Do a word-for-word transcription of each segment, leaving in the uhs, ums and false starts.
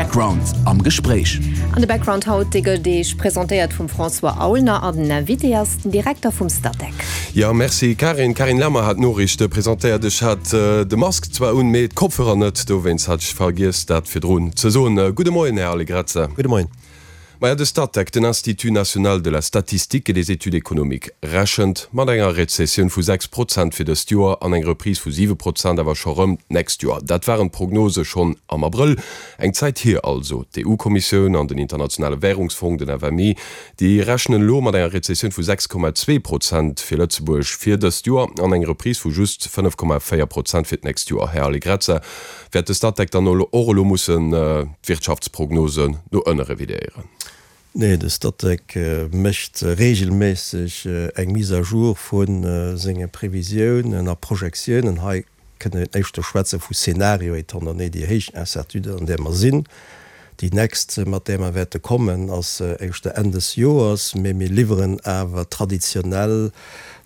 Background am Gespréich. An de Background haut, dee gëtt Iech presentéiert vum François Aulner an den Invité ass den Direkter vum Statec. Jo, merci Karin. D'Karin Lemmer hat d'Noriichte presentéiert. Ech hat de Mask zwar un, mee d'Kopfhörer net, dowéinst hat ech vergiess dat virdrun ze soen. Gudde Moien, Här Allegrezza. Gudde Moien. Maja, de Statec, den Institut national de la statistique et des études économiques, rechent mat enger Rezessioun vu sechs Prozent fir dëst Joer an eng Reprise vu siwe Prozent awer scho rëm d'nächst Joer. Dat waren d'Prognose schonn am Abrëll. Eng Zäit hier also. D'EU-Kommissioun an den Internationale Währungsfong, den F M I, déi rechnen elo mat enger Rezessioun vu sechs Komma zwee Prozent fir Lëtzebuerg fir dëst Joer an eng Reprise vu just fënnef Komma véier Prozent fir d'nächst Joer. Här Allegrezza, wäert de Statec dann och elo mussen d'Wirtschaftsprognosen no ënne revidéieren? Nee, de Statec mécht reegelméisseg eng Mise à jour vu senge Previsiounen a Projektiounen. Hei kënne mir éischter schwätze vu Szenario, étant donné déi héich Incertitude, an där mer sinn. Déi nächst, mat där mer wäerte kommen, ass éischter Enn des Joers, mee mir liwweren awer traditionell,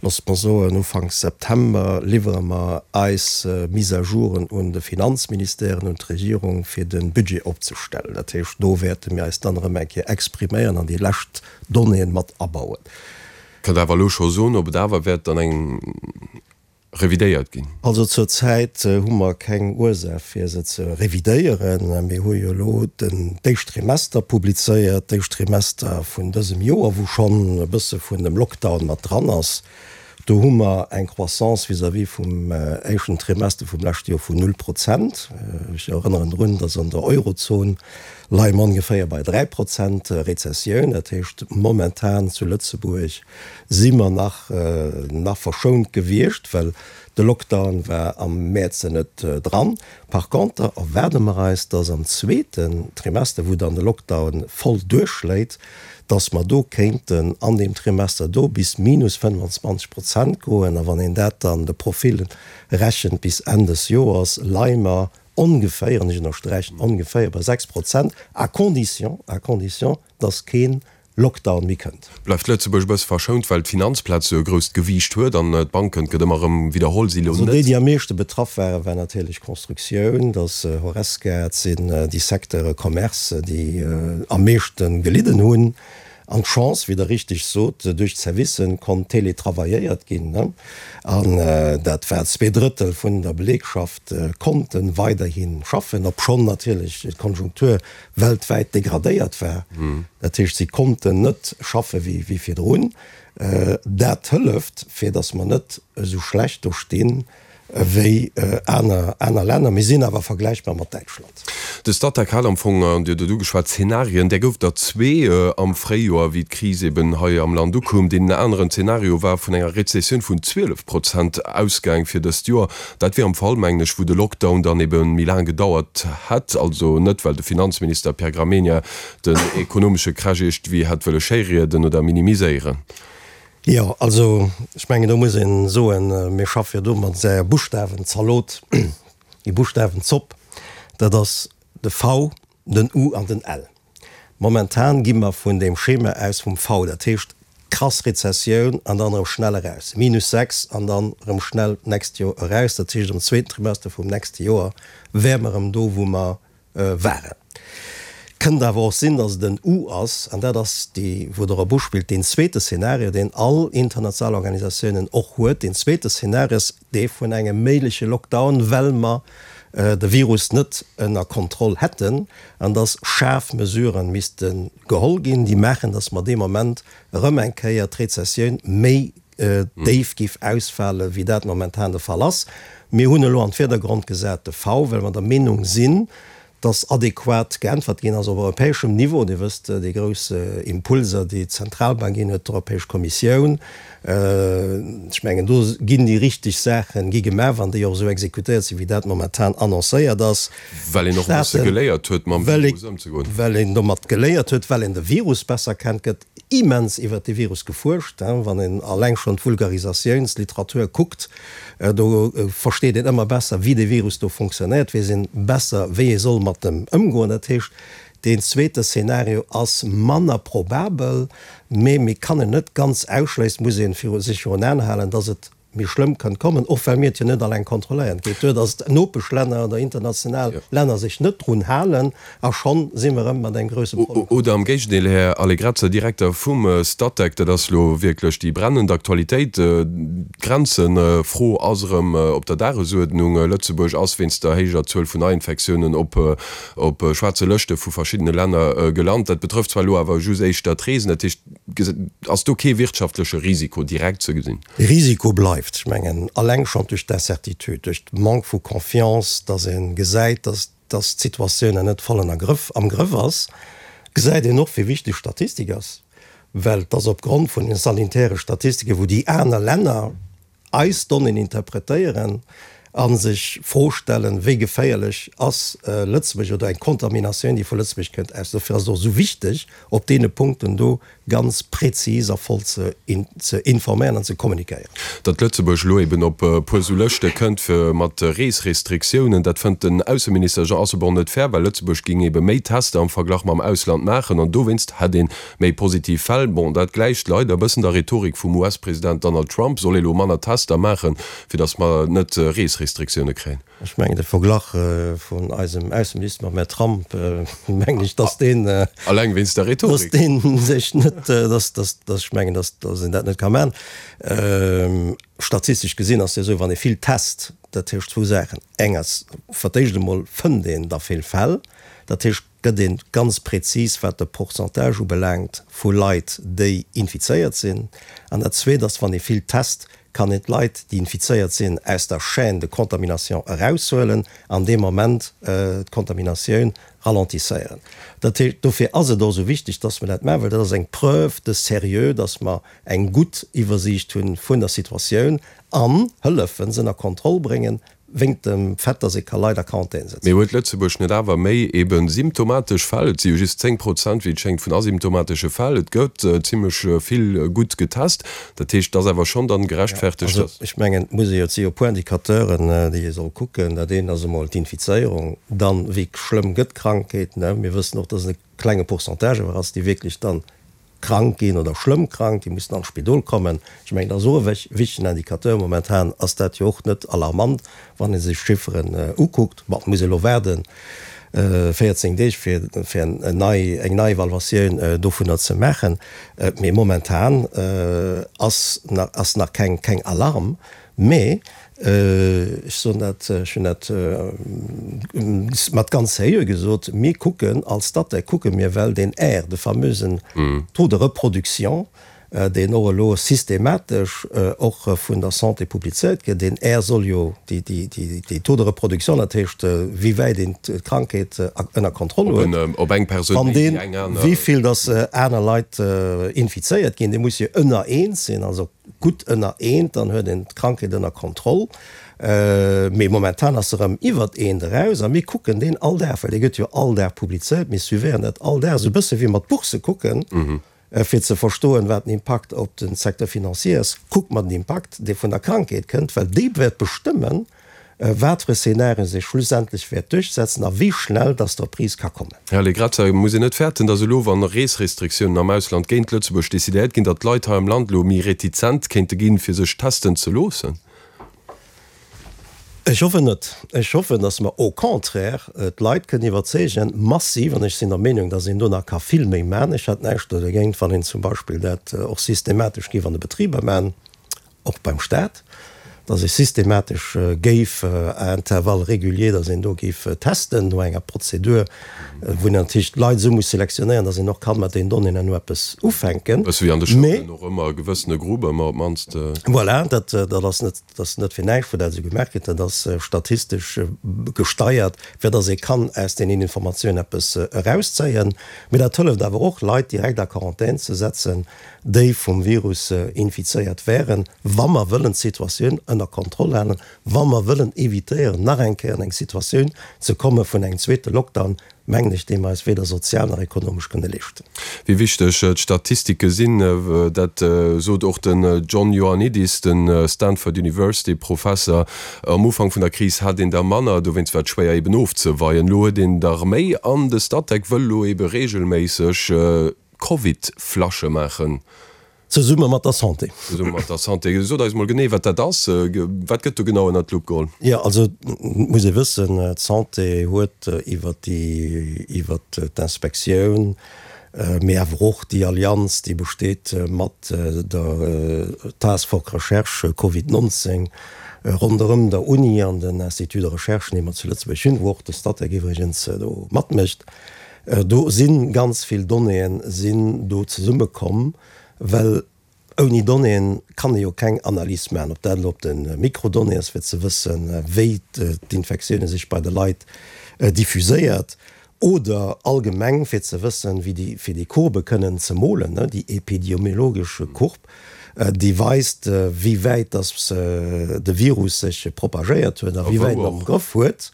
loosst mer soen, ufanks September liwwere mer eis Mise-à-jouren un de Finanzministère an un d'Regierung, fir de Budget opzestellen. Dat heescht, do wäerte mir eis dann erëm eng Kéier expriméieren an déi lescht Donnéeën mat abauen. Kënnt Der awer elo scho soen, ob et awer wäert dann eng revidéiert ginn? Also zur Zäit hu mer keng Ursaach fir se ze revidéieren. Mir hu jo elo den d'éischt Trimester publizéiert, d'éischt Trimester vun dësem Joer, wou schonn e bësse vun dem Lockdown mat dran ass. Do hu mer eng Croissance vis-à-vis vum éischten Trimester vum leschte Joer vun null Prozent. Ech erënneren drun, dass an der Eurozon leie mer ongeféier bei dräi Prozent Rezessioun. Dat heescht, momentan zu Lëtzebuerg si mer nach nach verschount gewiescht, well de Lockdown war am Mäerz net dran. Par conter erwaarde mer eis, dass am zweeten Trimester, wou dann de Lockdown voll duerchschléit, dass mer do kéinten an deem Trimester do bis minus fënnefanzwanzeg Prozent goen. A wann een dat dann de Profil rechent bis Enn des Joers, leie mer ongeféier, an ech ënnersträichen ongeféier, bei sechs Prozent, à condition, à condition, dass kee Lockdown méi kënnt. Bleift Lëtzebuerg e bësse verschount, well d'Finanzplaz esou e grousst Gewiicht huet an d'Banken, et gëtt ëmmer erëm widderholl, si elo Also déi, net. déi am meeschte betraff waren, war natierlech d'Constructioun, dat ass Horesca, et sinn déi Secteure Commerce, déi am meeschte gelidden hunn. An d'Chance, wéi Der richteg sot, duerch d'Servicen konnt teletravailléiert ginn, an dat war zwee Drëttel vun der Belegschaft konnte weiderhi schaffen, obschonn natierlech d'Konjunktur weltwäit degradéiert war. Dat heescht, si konnten net schaffe wéi virdrun. Dat hëlleft, fir datt mer net esou schlecht do stinn wéi aner aner Länner. Mir sinn awer vergläichbar mat Däitschland. De Statec hat am Fong, an Dir hutt et ugeschwat, Zenarien, där gouf der zwee am Fréijoer, wéi d'Kris eben hei am Land ukoum. Deen aneren Zenario war vun enger Rezessioun vun zwielef Prozent ausgaang fir dëst Joer. Dat wier am Fall, mengen ech, wou de Lockdown dann ebe méi laang gedauert hätt. Also net, well de Finanzminister Pierre Gramegna den ekonomesche Crash iergendwéi hätt wëlle schéirieden oder minimiséieren. Jo, also ech mengen, do muss ee soen, mir schaffe jo do mat där Buschtawen-Zalot, déi Buschtawen-Zopp, dat ass de V, den U an den L. Momentan gi mer vun deem Schema aus vum V, dat heescht krass Rezessioun an dann erëm schnell eraus, minus sechs an dann erëm schnell d'nächst Joer eraus. Dat heescht, am zweeten Trimester vum nächste Joer wäre mer erëm do, wou mer waren. Kënnt awer och sinn, datt et en U ass, an dat ass déi, wou Der op uspillt, deen zweete Szenario, deen all international Organisatiounen och huet. Deen zweete Szenario ass dee vun engem méigleche Lockdown, well mer de Virus net ënner Kontroll hätten an datt schaarf Mesurë misste geholl ginn, déi maachen, datt mer dee Moment erëm eng Kéier d'Rezessioun méi déif géif ausfale wéi dat momentan de Fall ass. Mir hunn elo an d'Virdergrond gesat de V, well mer der Meenung sinn, dass adequat geäntwert ginn ass op europäeschem Niveau. Dir wësst, déi grouss Impulser, déi d'Zentralbank ginn huet, d'Europäesch Kommissioun, ech mengen, do ginn déi richteg Saache gi gemaach, wann déi och esou exekutéiert sinn, wéi dat momentan annoncéiert ass. Well een och e bësse geléiert huet, mam Virus ëmzegoen. Well een domat geléiert huet, well een de Virus besser kennt, gëtt immens iwwert dee Virus gefuerscht. Wann een alleng schonn d'Vulgarisatiounsliteratur kuckt, do versteet een ëmmer besser, wéi dee Virus do fonctionnéiert, weess een besser, wéi ee soll mat em ëmgoen. Dat heescht, deen zweete Szenario ass manner probabel, mee mir kann en net ganz ausschléissen, muss ee sech virun Aen halen, dass et méi schlëmm kënnt kommen, och well mir et jo net alleng kontrolléieren. Et geet duer, datt d'Nopeschlänner oder international Länner sech net drun halen, a schonn si mer erëm mat engem grousse Problem. Oder am Géigendeel, Här Allegrezza, Direkter vum Statec, dat ass elo wierklech déi brennend Aktualitéit, D'Grenzenfro ass erëm op der Dagesuerdnung. Lëtzebuerg ass wéinst der héijer Zuel vun Neiinfektiounen op op schwaarze Lëschte vu verschiddene Länner gelant. Dat betrëfft zwar elo awer just éischter d'Reesen. Dat heescht, ass do kee wirtschaftleche Risiko direkt ze gesinn? De Risiko bleift. Ech mengen, alleng schonn duerch d'Incertitude, duerch de Manque vu Confiance, datt ee gesäit, datt datt d'Situatioun nach net voll ënner Grëff, am Grëff ass, gesäit een och, wéi wichteg Statistik ass, well et ass opgrond vun den sanitäre Statistiken, wou déi aner Länner eis Donnéeën interpretéieren a sech d'Fro stellen, wéi geféierlech ass Lëtzebuerg oder eng Kontaminatioun, déi vu Lëtzebuerg kënnt, aus. Dofir ass et och esou wichteg, op deene Punkten do ganz prezis a voll ze ze informéieren an ze kommunikéieren. Datt Lëtzebuerg elo eben op e puer sou Lëschte kënnt fir mat Reesrestriktiounen, dat fënnt den Ausseminister Jean Asselborn net fair, well Lëtzebuerg géing ebe méi Tester am Verglach mam Ausland maachen an dowéinst hätt ee méi positiv Fäll. Bon, dat gläicht leider e bëssen der Rhetorik vum U S-President Donald Trump, soll ee lo manner Tester maachen, fir datt mer net Reesrestriktioune kréien. Ech mengen, de Verglach vun eisem Ausseminister mam Här Trump, mengen ech, datt deen, Alleng wéinst der datt Rhetorik. dee sech net, datt, datt, datt ech mengen, datt, datt een dat net ka maachen. Statistesch gesinn ass jo esou, wann ee vill test, dat heescht zwou Saachen, eng ass, fir d'éischt emol fënnt een da vill Fäll, dat heescht, gëtt ee ganz prezis, wat de Pourcentage ubelaangt vu Leit, déi infizéiert sinn. An dat Zweet ass, wann ee vill test, kann een d'Leit, déi infizéiert sinn, aus der Chaîne de contamination eraushuelen an dee Moment d'Contaminatioun ralentisséieren. Dat heescht, dofir ass et och esou wichteg, dass mer dat maachen, well dat ass eng Preuve de sérieux, dass mer eng gutt Iwwersiicht hu vun der Situatioun an hëllefen, se ënner Kontroll bréngen, wéingt dem Fait, dass ee ka Leit a Quarantän Mee setzen. huet Lëtzebuerg net awer méi ebe symptomatesch Fäll? Et si jo just zéng Prozent, wéi et schéngt, vun asymptomatesche Fäll. Et gëtt zimlech vill gutt getest. Dat heescht, et ass awer schonn dann Jo, gerechtfertegt, also dass. ech mengen, et muss ee jo, et si jo e puer Indicateuren, déi ee soll kucken. Dat eent ass emol d'Infizéierung, dann, wéi schlëmm gëtt d'Krankheet, ne? Mir wëssen och, dass et e klenge Pourcentage awer ass, déi wierklech dann krank ginn oder schlëmm krank, déi mussen an d'Spidol kommen. Ech mengen, dat ass och e wichtegen Indicateur. Momentan ass dat jo och net alarmant, wann ee sech d'Chifferen ukuckt. Bon, et muss ee elo waarden véierzéng Deeg, fir fir eng nei eng nei Evaluatioun dovunner ze maachen. Mee momentan ass nach ass nach keng keng Alarm. Mee ech soen dat, ech hunn dat mat ganz sérieux gesot, mir kucken als Statec, kucke mir, well deen R, de famösen Taux de reproduction, deen och elo systematesch och vun der Santé publizéiert gëtt, deen R soll jo déi, déi Taux de reproduction, dat heescht wéi wäit een d'Krankheet ënner Kontroll huet, Op eng Persoun wann méi wéi deen, eng aner. wéi vill dass aner Leit infizéiert ginn, dee muss jo ënner eent sinn, also gutt ënner eent, dann huet een d'Krankheet ënner Kontroll. Mee momentan ass se erëm iwwert eent eraus a mir kucken deen all Dag, well dee gëtt jo all Dag publizéiert, mir suivéieren dat all Dag, esou e bësse wéi mer d'Bourse kucken, fir ze verstoen, wat den Impakt op de Secteur financier ass, kucke mer den Impakt, dee vun der Krankheet kënnt, well dee wäert bestëmmen, wat fir e Szenario sech schlussendlech wäert duerchsetzen a wéi schnell dass d'Reprise ka kommen. Här Allegrezza, muss een net fäerten, datt elo, wa Reesrestriktiounen am Ausland géint Lëtzebuerg decidéiert ginn, datt d'Leit hei am Land elo méi retizent kéinte ginn, fir sech testen ze loossen? Ech hoffen net. Ech hoffen, datt mer au contraire d'Leit kënnen iwwerzeegen, massiv, an ech sinn der Meenung, datt een do nach ka vill méi maachen. Ech hätt näischt do dergéint, wann een zum Beispill dat och systematesch géif an de Betriber maachen, och beim Stat, dass ee systematesch géif à intervalles réguliers, dass een do géif testen no enger Prozedur, wou een natierlech d'Leit esou muss selektionéieren, dass een och ka mat deenen Donnéeën herno eppes ufänken. Bësse wéi an de Mee. Schoulen och ëmmer e gewëssene Grupp ëmmer op d'mannst. Voilà, dat, dat ass net, dat ass net fir näischt, wou dat esou gemaach gëtt. Dat ass statistesch gesteiert, fir dass ee kann aus deenen Informatiounen eppes erauszéien. Mee dat hëlleft awer och, Leit direkt a Quarantän ze setzen, déi vum Virus infizéiert wären, wa mer wëllen d'Situatioun ënner Kontroll halen, wa mer wëllen evitéieren, nach eng Kéier an eng Situatioun ze komme vun engem zweete Lockdown, mengen ech, dee mer eis weder sozial nach ekonomesch kënne leeschten. Wéi wichteg d'Statistike sinn, dat sot och den John Ioannidis, de Stanford University Professer. Am Ufank vun der Kris hat een der manner, dowéinst war et schwéier eben ofzeweien. Elo huet een der méi an de Statec wëll elo ebe reegelméisseg Covid-Flashe maachen. Zesumme mat der Santé. Zesumme mat der Santé. Sot eis mol genee, wat dat ass. Wat gëtt do genau ënnert d'Lupp geholl? Jo, also et muss ee wëssen, d'Santé huet iwwer déi, iwwer d'Inspektioun, mee awer och déi Allianz, déi besteet mat der Task Force Recherche Covid nonzéng ronderëm der Uni an den Instituts de recherche, déi mer zu Lëtzebuerg hunn, wou och de Statec iwwregens do matmécht, do si ganz vill Donnéeën sinn do zesummekomm, well ouni Donnéeën kann ee jo keng Analys maachen, ob dat elo op de Mikrodonnéeë ass, fir ze wëssen, wéi d'Infektioune sech bei de Leit diffuséiert, oder allgemeng fir ze wëssen, wéi déi, fir déi Courbe kënnen ze molen, déi epidemiologesch Courbe, déi weist, wéi wäit dass de Virus sech propagéiert huet a wéi wäit en am Grëff huet.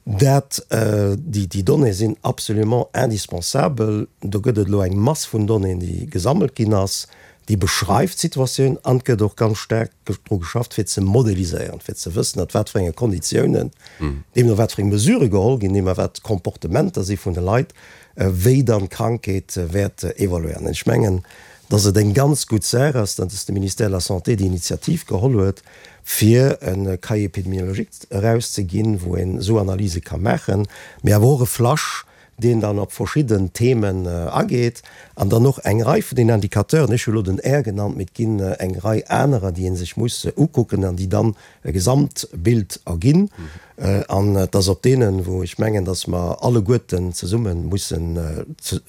Dat, déi, déi Donnéeë sinn absolument indispensabel. Do gëtt et elo eng Mass vun Donnéeën, déi gesammelt ginn ass, déi beschreift d'Situatioun an et gëtt och ganz staark dru geschafft, fir ze modeliséieren, fir ze wëssen, ënner wat fir enge Konditiounen, deemno wat fir eng Mesurë geholl ginn, deemno wat d'Comportementer si vun de Leit, wéi dann d'Krankheet wäert evoluéieren. Ech mengen, dass et eng ganz gutt Saach ass, dass de Ministère de la Santé déi Initiativ geholl huet, fir e Cahier épidémiologique erauszeginn, wou een esou Analyse ka maachen, mee awer och e Flash, deen dann op verschidden Themen ageet an dann och eng Rei vun den Indicateuren, ech hu elo den R genannt, mee et ginn eng Rei anerer, déi ee sech muss ukucken an déi dann e Gesamtbild erginn. An et ass op deenen, wou ech mengen, dass mer alleguerten zesumme mussen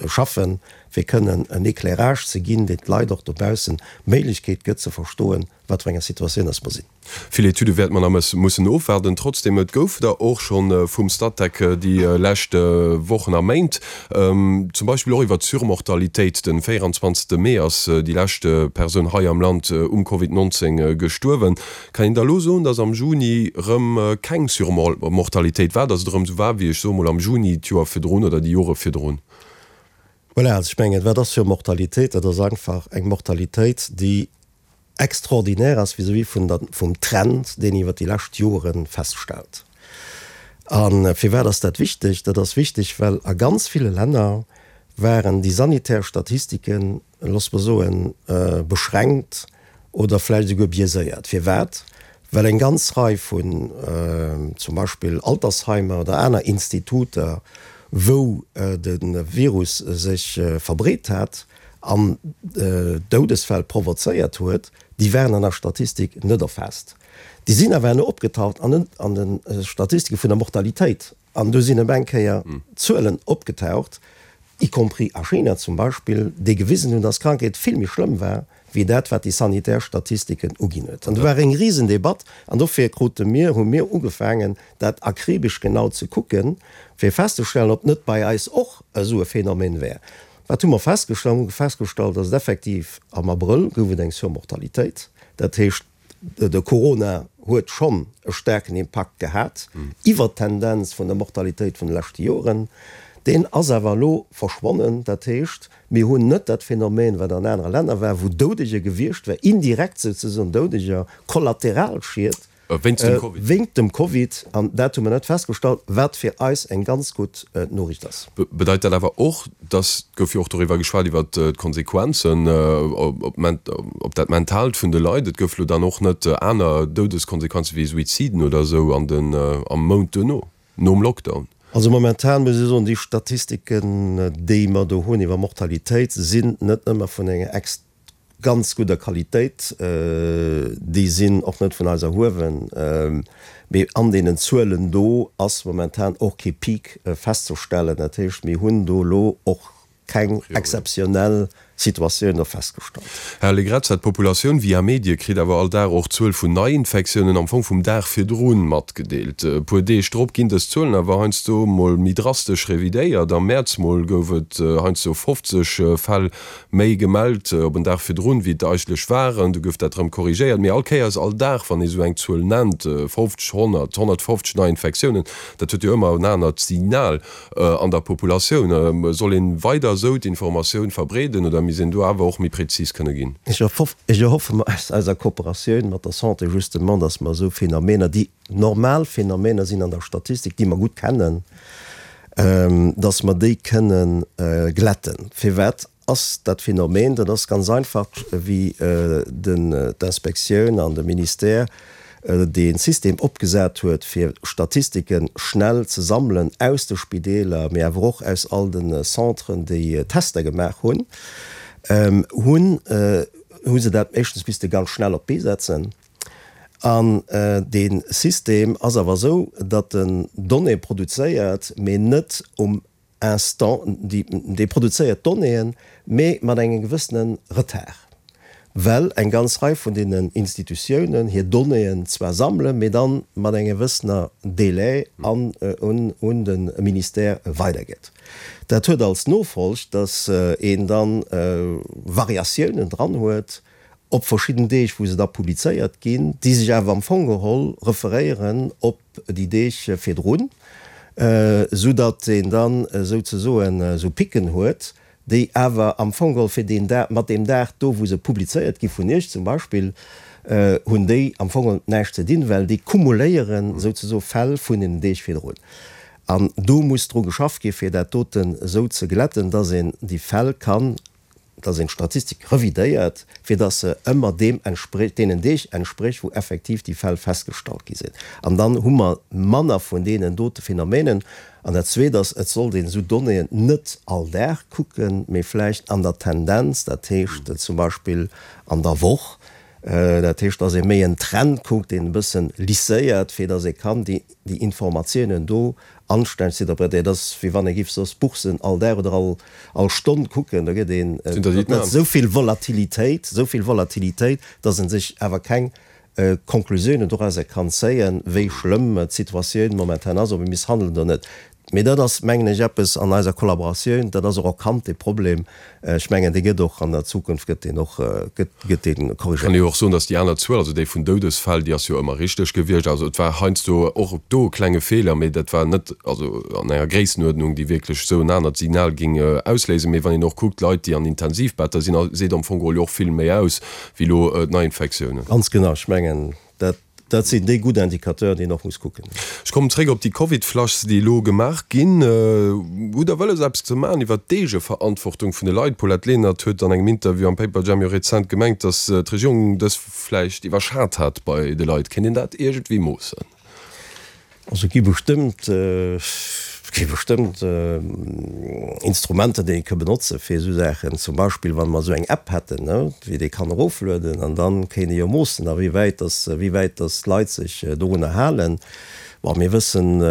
schaffen, fir kënnen en Éclairage ze ginn, deen d'Leit och dobaussen d'Méiglechkeet gëtt ze verstoen, wat fir enger Situatioun dass mer sinn. Vill Etüde wäerte mer nach mussen ofwaarden. Trotzdem, et gouf der och scho vum Statec déi lescht Wochen a Méint, zum Beispill och iwwer d'Surmortalitéit. Den véierundzwanzegste Mee ass déi lescht Persoun hei am Land um Covid nonzéng gestuerwen. Kann een da elo soen, dass am Juni erëm keng Surmortalitéit war, dass et erëm esou war wéi, ech soe mol, am Juni d'Joer virdrun oder déi Jore virdrun? Voilà, also ech mengen, wat ass Surmortalitéit? Dat ass einfach eng Mortalitéit, déi extraordinaire ass vis-à-vis vun der, vum Trend, deen een iwwer déi lescht Jore feststellt. A firwat ass dat wichteg? Dat ass wichteg, well a ganz ville Länner waren déi sanitär Statistiken, loosse mer soen, beschränkt oder vläicht esouguer biaiséiert. Firwat? Well eng ganz Rei vun zum Beispill Altersheimer oder aner Instituter, wou de Virus sech verbreet hat an Doudesfäll provozéiert huet, déi waren an der Statistik net erfaasst. Déi sinn awer herno opgetaucht an de Statistike vun der Mortalitéit. An do sinn op eng Kéier Zuelen opgetaucht, y compris a China zum Beispill, déi gewisen hunn, dass d'Krankheet vill méi schlëmm war, wéi dat, wat déi sanitär Statistiken uginn huet. An do war eng Risendebatt. An dofir krute mir, hu mir ugefaangen, dat akribesch genau ze kucken, fir festzestellen, ob net bei eis och esou e Phänomen wär. Wat hu mer festgestallt? Mer hu festgestallt, dass et effektiv am Abrëll gouf et eng Surmortalitéit. Dat heescht, de Corona huet schonn e staarken Impakt gehat iwwert d'Tendenz vun der Mortalitéit vun de leschte Joren. Deen ass awer elo verschwonnen. Dat heescht, mir hunn net dat Phänomen, wat an anere Länner war, wou Doudeger gewiescht war, indirekt souzesoen Doudeger, Kollateralschied wéinst dem Covid. An dat hu mer net festgestallt, wat fir eis eng ganz gutt Noriicht ass. Bedeit dat awer och, dass, et gouf jo och doriwwer geschwat, iwwer d'Konsequenzen op dat Mentaalt vun de Leit, et gouf elo dann och net aner Doudeskonsequenze wéi Suiziden oder esou an den, am Mount duerno, nom Lockdown? Also momentan muss ech soen, déi Statistiken, déi mer do hunn iwwer Mortalitéit, sinn net ëmmer vun enger ex ganz gudder Qualitéit. Déi sinn och net vun eis erhuewen. Mee an deenen Zuelen do ass momentan och kee Peak festzestellen. Dat heescht, mir hunn do elo och keng exzeptionell Situatioun do festgestallt. Här Allegrezza, d'Populatioun via Medie kritt awer all Dag och d'Zuel vun Neiinfektiounen am Fong vum Dag virdrun matgedeelt. E puer Deeg drop ginn dës Zuelen awer heiansdo mol méi drastesch revidéiert. Am Mäerz mol gouf et heiansdo fofzeg Fäll méi gemellt op en Dag virdrun, wéi et eigentlech waren. Du gouf dat erëm korrigéiert. Mee all Kéiers, all Dag, wann ee sou eng Zuel nennt, fofzeg, honnert, honnertfofzeg Neiinfektiounen, dat huet jo ëmmer en anert Signal an der Populatioun. Soll een weider esou d'Informatioun verbreeden oder misst een do awer och méi präzis kënne ginn? Ech erhoffe mer aus eiser Kooperatioun mat der Santé justement, dass mer esou Phänomener, déi normal Phänomener sinn an der Statistik, déi mer gutt kennen, dass mer déi kënne glätten. Firwat ass dat Phänomen, dat ass ganz einfach, wéi den d'Inspektioun an de Ministère dee System opgesat huet, fir Statistike schnell ze sammelen aus de Spideeler, mee awer och aus all de Centren, déi Tester gemaach hunn, hunn hu se dat éischtens misste ganz schnell op d'Bee setzen. An dee System ass awer esou, datt en Donnéeë produzéiert, mee net um Instant, dee produzéiert Donnéeën, mee mat engem gewëssene Retard, well eng ganz Rei vun deenen Institutiounen hir Donnéeën zwar sammelen, mee da mat engem gewëssener Délai an un de Ministère weidergëtt. Dat huet als Nofolg, datt een da Variatiounen dran huet op verschidden Deeg, wou se da publizéiert ginn, déi sech awer am Fong geholl referéieren op déi Deeg virdrun, soudatt een dann souzesoen esou Picken huet, déi awer am Fong geholl fir deen Dag, mat deem Dag do, wou se publizéiert gi vun Iech zum Beispill, hunn déi am Fong geholl näischt ze dinn, well déi kumuléieren souzesoe Fäll vun den Deeg virdrun. An do muss dru geschafft gi fir dat doten esou ze glätten, datt een déi Fäll kann, datt een d'Statistik revidéiert, fir datt se ëmmer deem entsprécht, deenen Deeg entsprécht, wou effektiv déi Fäll festgestallt gi sinn. An dann hu mer manner vun deenen dote Phänomenen. An dat Zweet ass, et sollt een esou Donnéeën net all Dag kucken, mee vläicht an der Tendenz, dat heescht zum Beispill an der Woch, dat heescht, datt ee méi en Trend kuckt, deen e bëssen lisséiert, fir datt ee kann déi Informatiounen do anstänneg interpretéieren. Dat ass, wéi wann ee géif soss d'Boursen all Dag oder all all Stonn kucken. Da gëtt een esou vill Volatilitéit, esou vill Volatilitéit, datt ee sech awer keng Konklusiounen dorauser kann zéien, wéi schlëmm d'Situatioun momentan ass, ob ee misst handelen oder net. Mee dat ass, mengen ech, eppes an eiser Kollaboratioun, dat ass och erkannt, dee Problem. Ech mengen, dee gëtt och an der Zukunft gëtt deen och, gëtt, gëtt dee korrigéiert. Kann ee jo och soen, datt déi aner Zuel, also déi vun Doudesfäll, déi ass jo ëmmer richteg gewiescht. Also et war heiansdo och do e klenge Feeler, mee dat war net, also an enger Gréissenuerdnung, déi wierklech esou en anert Signal géing ausléisen. Mee wann een och kuckt, Leit, déi an Intensivbetter sinn, seet am Fong geholl jo och vill méi aus wéi elo d'Neiinfektiounen. Ganz genau. Ech mengen, dat Dat sinn déi gutt Indicateuren, déi een och muss kucken. Ech kommen zréck op déi Covid-Flushs, déi elo gemaach ginn. Hutt Der wëlles, eppes ze maachen iwwert d'Eegeverantwortung vun de Leit? D'Paulette Lenert huet an engem Interview am Paperjam jo rezent gemengt, datt d'Regierung dës vläicht iwwerschat hat bei de Leit. Kéint een dat iergendwéi moossen? Also et gi bestëmmt, et gi bestëmmt Instrumenter, déi ee ka benotze fir esou Saachen. Zum Beispill wa mer esou eng App hätten, ne, wéi ee kann eroflueden an da kéint ee jo moossen, a wéi wäit dass, wéi wäit dass d'Leit sech dorunner halen. Bon, mir wëssen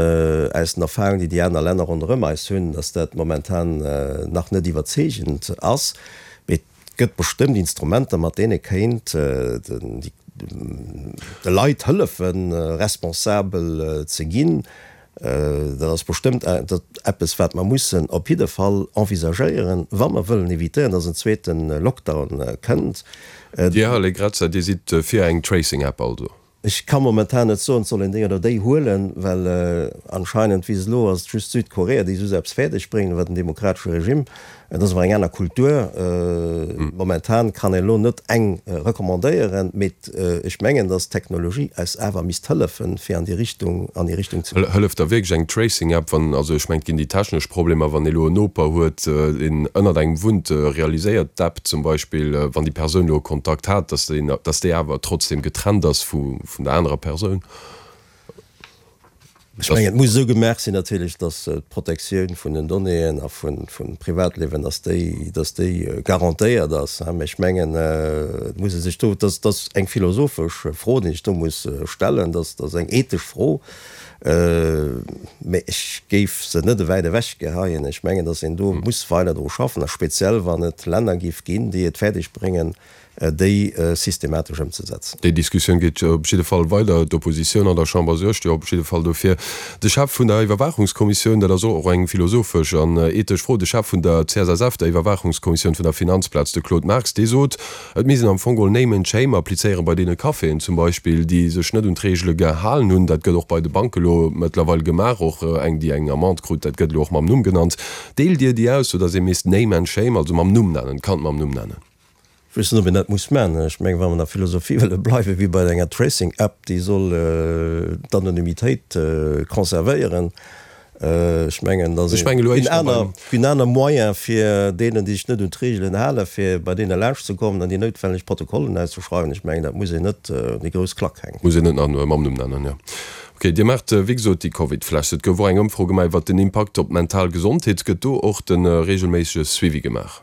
aus den Erfahrungen, déi déi aner Länner ronderëm eis hunn, dass dat momentan nach net iwwerzeegend ass. Mee et gëtt bestëmmt Instrumenter, mat deene kéint déi de Leit hëllefen, responsabel ze ginn. Dat ass bestëmmt eppes, wat mer mussen op jidde Fall envisagéieren, wa mer wëllen evitéieren, dass en zweete Lockdown kënnt. Dir, Här Allegrezza, Dir sidd fir eng Tracing-App also? Ech ka momentan net soen, et soll een déi oder déi huelen, well anscheinend, wéi se elo ass, et just Südkorea, déi esou eppes fäerdeg bréngen, wat en demokratesche Regime, et ass awer eng aner Kultur. Momentan kann een elo net eng recommandéieren, mee ech mengen, datt d'Technologie eis awer misst hëllefen, fir an déi Richtung, an déi Richtung ze goen. Hëlleft da wierklech eng Tracing-App, wann, also ech mengen, et ginn déi technesch Problemer, wann ee elo en Noper huet, deen ënnert engem wunnt, realiséiert d'App zum Beispill, wann déi Persoun elo e Kontakt hat, dass deen, dass déi awer trotzdem getrennt ass vu vun der anerer Persoun? Ech mengen, et muss esou gemaach sinn natierlech, dass d'Protektioun vun den Donnéeën a vum Privatliewen, dass déi, dass déi garantéiert ass. Mä ech mengen, et muss ee sech do, dat ass eng philosophesch Fro, déi sech do muss stellen, dat ass eng ethesch Fro. Mä ech géif se net ewäit ewech geheien. Ech mengen, datt een do muss weider dru schaffen, a speziell wann et Länner géif ginn, déi et fäerdeg bréngen, déi systematesch ëmzesetzen. Déi Diskussioun geet op jidde Fall weider. D'Oppositioun an der Chamber suergt jo op jidde Fall dofir. De Chef vun der Iwwerwaachungskommissioun, dat ass och eng philosophesch an ethesch Fro, de Chef vun der C S S F, der Iwwerwaachungskommissioun vun der Finanzplaz, de Claude Marx, dee sot, et misst een am Fong geholl Name and Shame applizéieren bei deene Caféen zum Beispill, déi sech net un d'Reegele gehalen hunn. Dat gëtt och bei de Banke elo mëttlerweil gemaach, och eng, déi eng Amende krut, dat gëtt elo och mam Numm genannt. Deelt Dir déi Ausso, datt ee misst Name and Shame, also mam Numm nennen, d'Kand mam Numm nennen? Ech weess net, ob een dat muss maachen. Ech mengen, wa mer an der Philosophie wëlle bleiwen, wéi bei enger Tracing-App, déi soll d'Anonymitéit conservéieren, Ech mengen, dat ass een aner Moyen fir deenen, déi sech net un d'Reegelen halen, fir bei deene laanscht ze kommen an déi noutwenneg Protokollen auszeschreiwen. Ech mengen, dat muss een net un déi grouss Klack hänken. Muss een net mam Numm nennen, jo. Ok, Dir maacht wéi gesot déi Covid-Flash. Et gouf och eng Ëmfro gemaach iwwert den Impakt op d'mental Gesondheet. Gëtt do och de reegelméissege Suivi gemaach?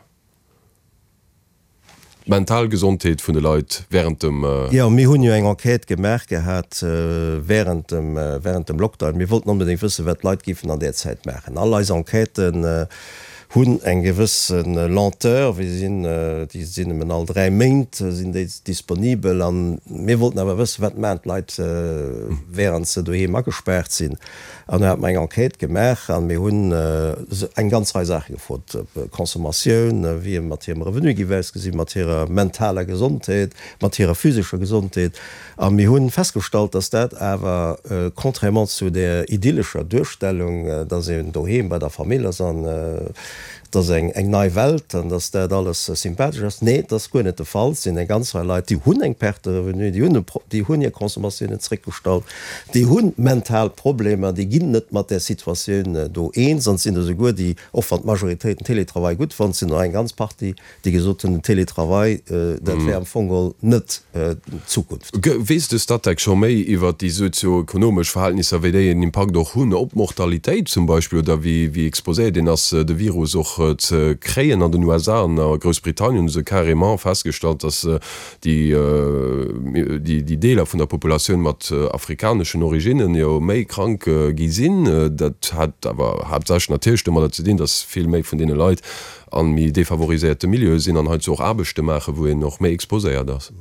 D'mental Gesondheet vun de Leit wärend dem. Jo, mir hunn jo eng Enquête gemaach gehat wärend dem, wärend dem Lockdown. Mir wollten onbedéngt wëssen, wat d'Leit géifen an där Zäit maachen. All eis Enquêten hunn eng gewësse Lenteur, wéi se sinn, déi sinn nëmmen all dräi Méint sinn déi disponibel. A mir wollten awer wëssen, wat maachen d'Leit wärend se doheem agespaart sinn. An do hate mer eng Enquête gemaach a mir hunn eng ganz Rei Saache gefrot, Consommatioun, wéi et mat hirem Revenu géif ausgesinn, mat hirer mentaler Gesondheet, mat hirer physescher Gesondheet. A mir hu festgestallt, dass dat awer, contrairement zu där idyllescher Duerstellung, dass een doheem bei der Famill ass an et ass eng nei Welt an dass dat alles sympathesch ass, nee, dat ass guer net de Fall. Et sinn eng ganz Rei Leit, déi hunn eng Perte de revenu, déi hunn déi hunn hir Consommatiounen zréckgestallt, déi hu mental Problemer, déi ginn net mat där Situatioun do eens. An et sinn der souguer, déi, och wann d'Majoritéit den Télétravail gutt fonnt, sinn der eng ganz Partie, déi gesot hunn, den Télétravail, dat wär am Fong geholl net d'Zukunft. Weess de Statec scho méi iwwert déi sozio-ekonomesch Verhältnisser, wéi déi en Impakt och hunn op d'Mortalitéit zum Beispill oder wéi wéi exposéiert een ass, de Virus och ze kréien? An den U S A an a Groussbritannien hu se carrément festgestallt, datt déi déi Deeler vun der Populatioun mat afrikaneschen Originnen jo méi krank gi sinn. Dat hat awer haaptsächlech natierlech domadder ze dinn, datt vill méi vun deene Leit a méi defavoriséierte Milieue sinn an heizou och Aarbechte maachen, wou een och méi exposéiert ass.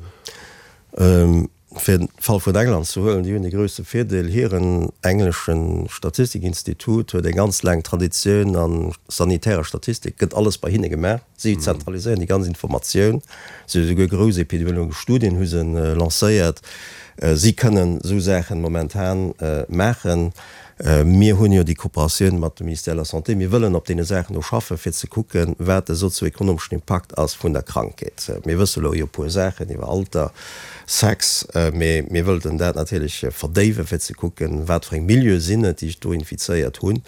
Fir den Fall vun England ze huelen, déi hunn de grousse Virdeel, hiren englesche Statistikinstitut huet eng ganz laang Traditioun a sanitärer Statistik, gëtt alles bei hinne gemaach, si zentraliséieren déi ganz Informatioun, si hu souguer grouss epidemiologesch Studien hu se lancéiert, si kënnen esou Saachen momentan maachen. Mir hunn jo déi Kooperatioun mat dem Ministère de la Santé. Mir wëllen op deene Saachen do schaffen, fir ze kucken, wat de sozioekonomeschen Impakt ass vun der Krankheet. Mir wësse lo jo e puer Saachen iwwer Alter, Sex, mee mir wëllten dat natierlech verdéiwen, fir ze kucken, wat fir eng Milieue sinn et, déi sech do infizéiert hunn.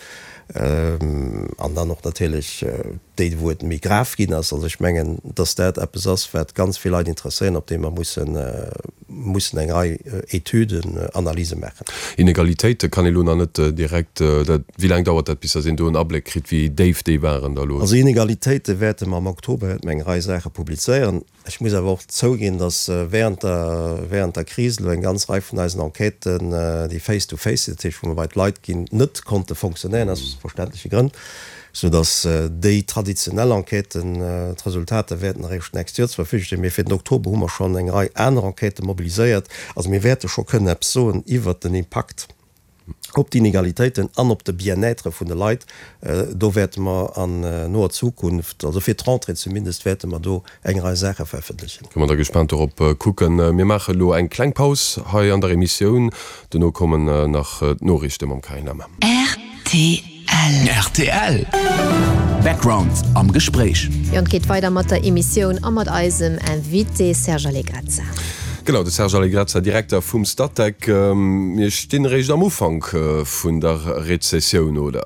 An dann och natierlech déi, wou et méi grav ginn ass. Also ech mengen, dass dat eppes ass, wat ganz vill Leit interesséieren, op deem mer mussen, mussen eng Rei Etüden, Analyse maachen. Inegalitéite kann ee lo nach net direkt, dat, wéi laang dauert dat, bis dass een do en Abléck kritt, wéi déif déi waren da lo? Also Inegalitéite wäerte mer am Oktober wäerte mer eng Rei Saache publizéieren. Ech muss awer och zouginn, dass während der, während der Kris elo eng ganz Rei vun eisen Enquêten, déi face to face sinn, dat heescht wou mer bei d'Leit ginn, net konnte fonctionnéieren, aus verständleche Grënn, soudass déi traditionell Enquêten, d'Resultater wäerten eréischt d'nächst Joer zur Verfügung stinn. Mee fir den Oktober hu mer schonn eng Rei aner Enquêtë mobiliséiert. Also mir wäerte scho kënnen eppes soen iwwert den Impakt op d'Inegalitéiten an op de Bien-être vun de Leit. Do wäerte mer an noer Zukunft, also fir d'Rentrée zumindest, wäerte mer do eng Rei Saache verëffentlechen. Kënne mer da gespaant dorop kucken. Mir maache elo eng kleng Paus hei an der Emissioun. Dono kommen nach d'Noriichte mam Carine Lemmer. Rtl. Rtl. Background am Gespréich. Jo, an et geet weider mat der Emissioun a mat eisem Invité Serge Allegrezza. Genau, de Serge Allegrezza, Direkter vum Statec. Mir stinn eréischt am Ufank vun der Rezessioun, oder?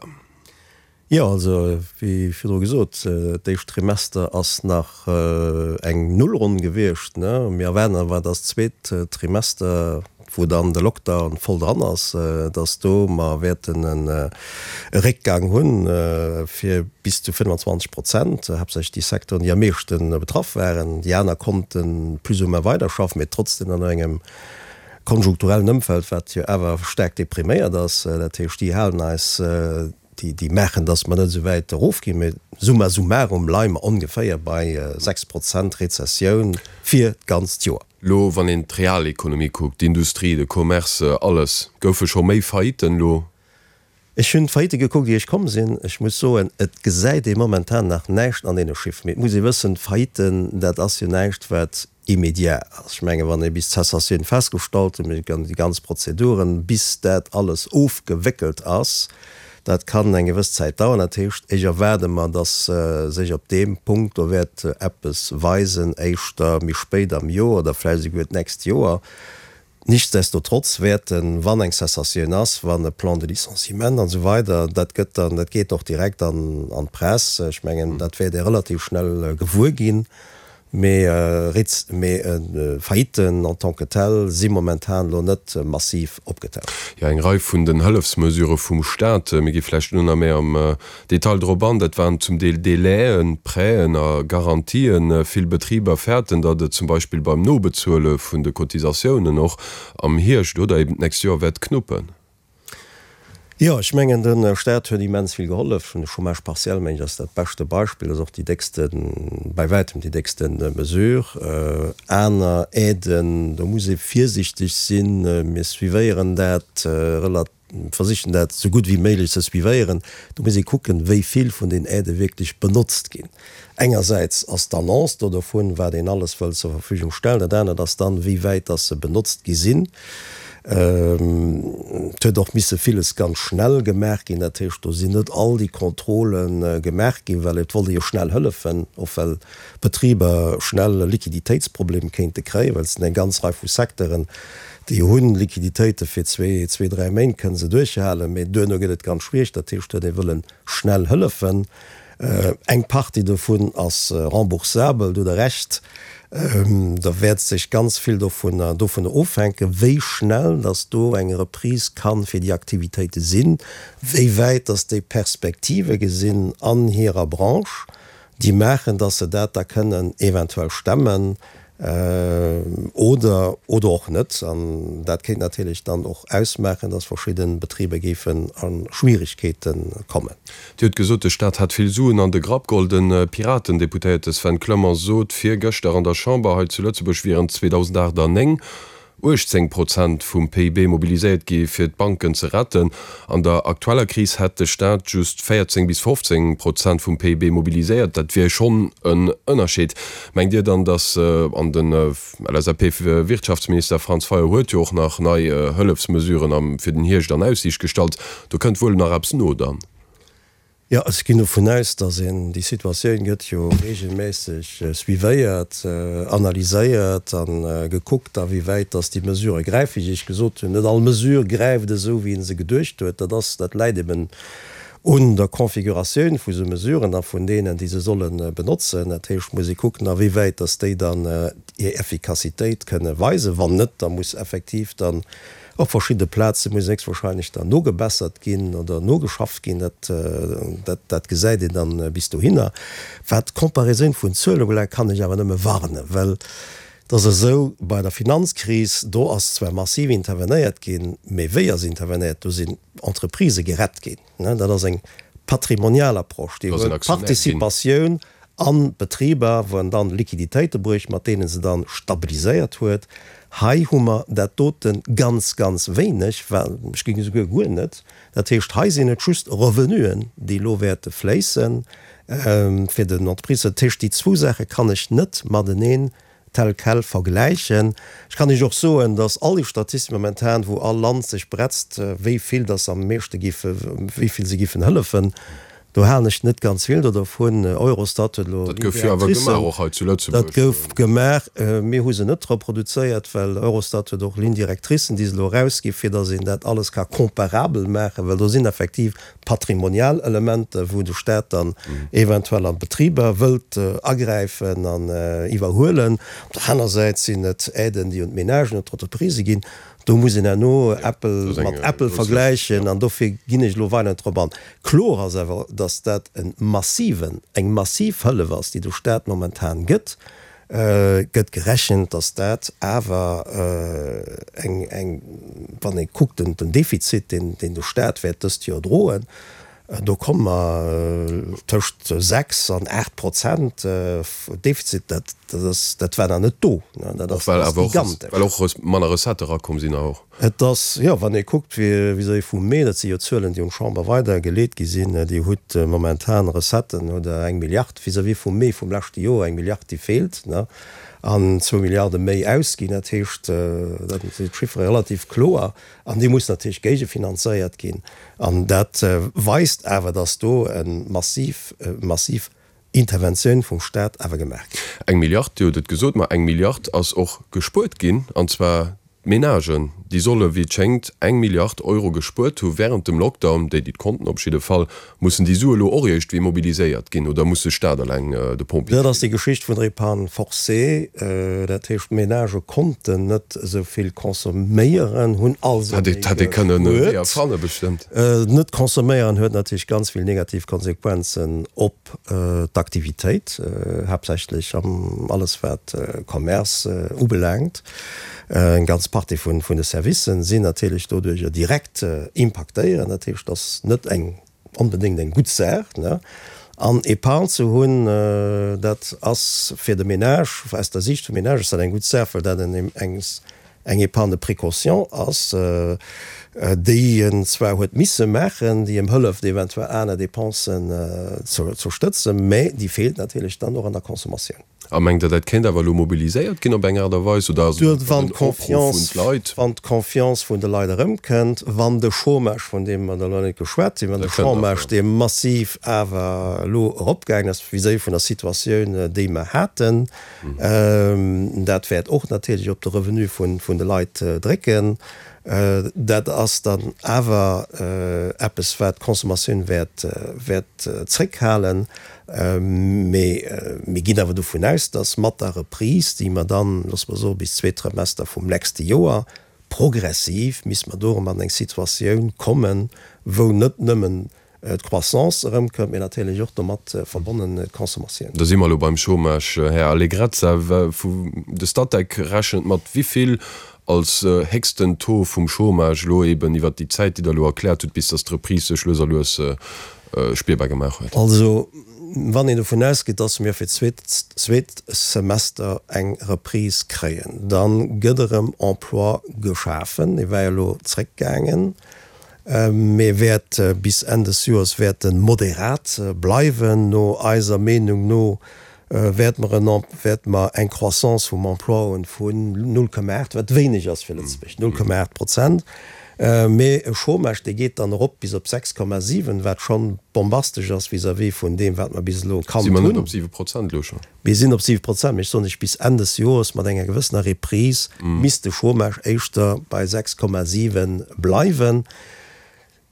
Jo, also wéi virdru gesot, d'éischt Trimester ass nach eng Nullronn gewiescht. Mir erwaarden awer, datt d'zweet Trimester, wou dann de Lockdown voll dran ass, dass do mer wäerten e Réckgang hunn fir bis zu fënnfanzwanzeg Prozent, haaptsächlech déi Secteuren, déi am meeschte betraff waren. Déi aner konnte plus ou moins weiderschaffen, mee trotzdem an engem konjunkturellen Ëmfeld, wat jo awer staark depriméiert ass. Dat heescht, déi halen eis, déi maachen, dass mer net esou wäit erofginn, mee summa summarum leie mer ongeféier bei sechs Prozent Rezessioun fir d'ganzt Joer. Lo wann een d'Realekonomie kuckt, d'Industrie, de Commerce, alles, goufe scho méi Faillitten lo? Ech hunn d'Faillitte gekuckt ier ech komm sinn. Ech muss soen, et gesäit ee momentan nach näischt an deene Chiffren. Mee et muss ee wëssen, Faillitten, dat ass jo näischt wat immédiat ass. Ech mengen, wann ee bis d'Cessatioun festgestallt huet, déi ganz Prozeduren, bis dat alles ofgewéckelt ass, dat kann eng gewëss Zäit dauern. Dat heescht, ech erwaarde mer, dass sech op deem Punkt do wäert eppes weisen, éischter méi spéit am Joer oder vläicht esouguer d'nächst Joer. Nichtsdestotrotz wäerten, wann eng Cessatioun ass, wann e Plan de licenciement an esou weider, dat gëtt dann, dat geet och direkt an an d'Press, ech mengen, dat wäert ee relativ schnell gewuer ginn. Mee mee Faillitten en tant que telles si momentan elo net massiv opgetaucht. Jo, eng Rei vun den Hëllefsmesurë vum Staat, mir gi vläicht elo nach méi am Detail drop an, dat waren zum Deel Délaiën, Prêten a Garantien. Vill Betriber fäerten, datt et zum Beispill beim Nobezuele vun de Cotisatiounen och am Hierscht oder eben d'nächst Joer wäert knuppen. Jo, ech mengen, de Staat huet immens vill gehollef. De Chômage partiel, mengen ech, ass dat beschte Beispill, ass och déi déckste, bei wäitem déi déckste Mesure. Aner Aiden, do muss ee virsiichteg sinn. Mir suivéieren dat relat, versichen dat esou gutt wéi méiglech ze suivéieren. Do muss ee kucken, wéi vill vun den Aidë wierklech benotzt ginn. Engersäits ass d'Annonce do dovun, wat een alles wëll zur Verfügung stellen. Dat anert ass dann, wéi wäit dass se benotzt gi sinn. Et huet och misse villes ganz schnell gemaach ginn. Dat heescht, do sinn net all déi Contrôle gemaach ginn, well et wollt ee jo schnell hëllefen, och well d'Betriber schnell e Liquiditéitsproblem kéinte kréien, well et sinn eng ganz Rei vu Secteuren, déi hunn Liquiditéite fir zwee, zwee, dräi Méint kënne se duerchhalen, mee duerno gëtt et ganz schwiereg. Dat heescht, do huet ee wëlle schnell hëllefen. Eng Partie dovun ass remboursabel, do hutt Der Recht. Da wäert sech ganz vill dovunner dovunner ofhänken, wéi schnell dass do eng Reprise ka fir déi Aktivitéite sinn, wéi wäit dass déi Perspektive gesinn an hirer Branche, déi maachen, dass se dat da kënnen eventuell stemmen. Oder, oder och net. An dat kéint natierlech dann och ausmaachen, dass verschidde Betriber géifen a Schwierigkeete kommen. Dir hutt gesot, de Staat hätt vill Suen an de Grapp geholl. De Piraten-Deputéierte Sven Clement sot virgëschter an der Chamber, hei zu Lëtzebuerg wieren zweedausendacht an néng uechtzéng Prozent vum P I B mobiliséiert gi fir d'Banken ze retten. An der aktueller Kris hätt de Staat just véierzéng bis fofzéng Prozent vum P I B mobiliséiert. Dat wier schonn en Ënnerscheed. Mengt Dir dann, datt, an den L S A P-Wirtschaftsminister Franz Fayot huet jo och nach nei Hëllefsmesuren fir den Hierscht an Aussiicht gestallt, do kënnt wuel nach eppes no dann? Jo, ech ginn dovun aus, datt een, déi Situatioun gëtt jo reegelméisseg suivéiert, analyséiert a gekuckt, awéiwäit datt déi Mesurë gräifen. Wéi ech gesot hunn, net all Mesure gräift esou, wéi ee se geduecht huet. Dat ass, dat läit eben un der Configuratioun vu sou Mesuren a vun deenen, déi se solle benotzen. Dat heescht, muss ee kucken, awéiwäit datt déi dann hir Effikassitéit kënne weisen. Wann net, da muss effektiv dann Op verschidde Plaze muss héchstwahrscheinlech dann nogebessert ginn oder nogeschafft ginn. Dat, dat, dat gesäit een dann bis dohinner. Wat d'Comparaison vun Zuelen ubelaangt, kann ech awer nëmme warnen, well et ass esou, bei der Finanzkris, do ass zwar massiv intervenéiert ginn, mee wéi ass intervenéiert? Do sinn Entreprisë gerett ginn. Dat ass eng patrimonial Approche, déi huet d'Participatioun an d'Betriber, wou en dann Liquiditéite brécht, mat deene se dann stabiliséiert huet. Hei hu mer dat dote ganz, ganz wéineg, well ech géing esouguer guer net. Dat heescht, hei sinn et just Revenuen, déi elo wäerte fléissen fir den Entreprises. Dat heescht, déi zwou Saache kann ech net mateneen tel quel vergläichen. Ech kann Iech och soen, dass all déi Statistiken momentan, wou all Land sech bretzt, wéi vill dass am meeschte giffe, wéi vill se giffen hëllefen, do halen ech net ganz vill do dervun. Eurostat huet elo Dat gouf jo awer gemaach, och hei zu Lëtzebuerg. Dat gouf gemaach. Mir hu se net reproduzéiert, well Eurostat huet och Lignes directricen, déi se elo erausgi fir dass een dat alles ka comparabel maachen, well do sinn effektiv patrimonial Elementer, wou de Staat dann eventuell an d'Betriber wëllt agräifen an iwwerhuelen. Op der aner Säit sinn et Aiden, déi un d'Menagen, un d'Entreprisë ginn. Do muss een herno Äppel mat Äppel vergläichen an dofir ginn ech elo weider net drop an. Kloer ass awer, dass dat e massiven, eng massiv Hëllef ass, déi de Staat momentan gëtt. Gëtt gerechent, dass dat awer eng, eng, wann ee kuckt den, den Defizit, deen, deen de Staat wäert dëst Joer droen, do komme mer tëscht sechs an aacht Prozent Defizit, dat, dat ass, dat war nach net do, dat ass, Och well dat ass awer och, gigantesch. well och manner Recettë erakomm sinn och. Et ass, jo, wann ee kuckt, vis-à-vis vum Mee, dat si jo Zuelen, déi un d'Chamber weidergeleet gi sinn, Dir hutt momentan Recetten, hutt Der eng Milliard vis-à-vis vum Mee vum leschte Joer, eng Milliard, déi feelt, ne, an zwou Milliarde méi ausginn. Dat heescht, dat sinn d'Chiffere relativ kloer an déi mussen natierlech géigefinanzéiert ginn. An dat weist awer, dass do e massiv, massiv Interventioun vum Stat awer gemaach ginn. Eng Milliard, Dir hutt et gesot, ma eng Milliard ass och gespuert ginn, an zwar D'Menagen, déi solle wéi et schéngt eng Milliard Euro gespuert hu wärend dem Lockdown, déi déi et konnten op jidde Fall. Mussen déi Sue elo och iergendwéi mobiliséiert ginn oder muss de Staat eleng de Pompjee Dat ass déi Geschicht vun der Épargne forcée. Dat heescht, d'Menagë konnten net esou vill consomméieren, hunn also méi gespuert. Hätt ee kënnen méi erfanne bestëmmt. Net consomméieren huet natierlech ganz vill negativ Konsequenzen op d'Aktivitéit, haaptsächlech am alles wat Commerce ubelaangt. Eng ganz Partie vun de Servicen sinn natierlech doduerjer direkt impaktéiert. Dat heescht, dat ass net eng onbedéngt eng gutt Saach. An Épargne ze hunn, dat ass fir de Ménage, aus der Siicht vum Ménage ass dat eng gutt Saach, well dat eng Épargne de précaution ass, déi en zwar huet misse maachen, déi em hëlleft eventuell aner Dépensen ze stëtzen, mä déi feelt natierlech dann och an der Consommatioun. A mengt Der, dat kéint awer elo mobiliséiert ginn op eng Aart a Weis, oder ass et einfach en Opruff un d'Leit? Wann d'Confiance vun de Leit erëmkënnt, wann de Chômage, vun deem mer elo net geschwat hunn, wann de Chômage, dee massiv awer elo eropgaangen ass vis-à-vis vun der Situatioun, déi mer haten, dat wäert och natierlech op de Revenu vun de Leit drécken. Dat ass dann awer eppes, wat d'Consommatioun wäert zréckhalen. Mee mir ginn awer dovun aus, datt mat der Reprise, déi mer dann, loosse mer soen, bis zweet Trimester vum nächste Joer, progressiv misste mer do erëm an eng Situatioun kommen, wou net nëmmen d'Croissance erëmkënnt, mee natierlech och domat verbonnen d'Consommatioun. Da si mer elo beim Chômage, Här Allegrezza. De Statec rechent mat wéi vill als héchsten Taux vum Chômage elo eben iwwert déi Zäit, déi Der elo erkläert hutt, bis datt d'Reprise sech lues a lues spierbar gemaach huet? Also, wann een dovun ausgeet, datt mir fir d'zweet zweet Semester eng Reprise kréien, da gëtt erëm Emploi geschafen. Dee war jo elo zréckgaangen, mee wäert bis Enn des Joers wäert e moderat bleiwen. No eiser Meenung no wäerte mer en wäerte mer eng Croissance vum Emploi hunn vun null Komma aacht, wat wéineg ass fir Lëtzebuerg, null Komma aacht Prozent. Mee e Chômage, dee geet dann erop bis op sechs Komma siwen, wat schonn bombastesch ass vis-à-vis vun deem, wat mer bis elo kannt Si mer hunn. net op siwe Prozent elo schonn? Mir sinn op siwe Prozent, mee ech soen lech, bis Enn des Joers mat enger gewëssener Reprise misst de Chômage éischter bei sechs Komma siwe bleiwen.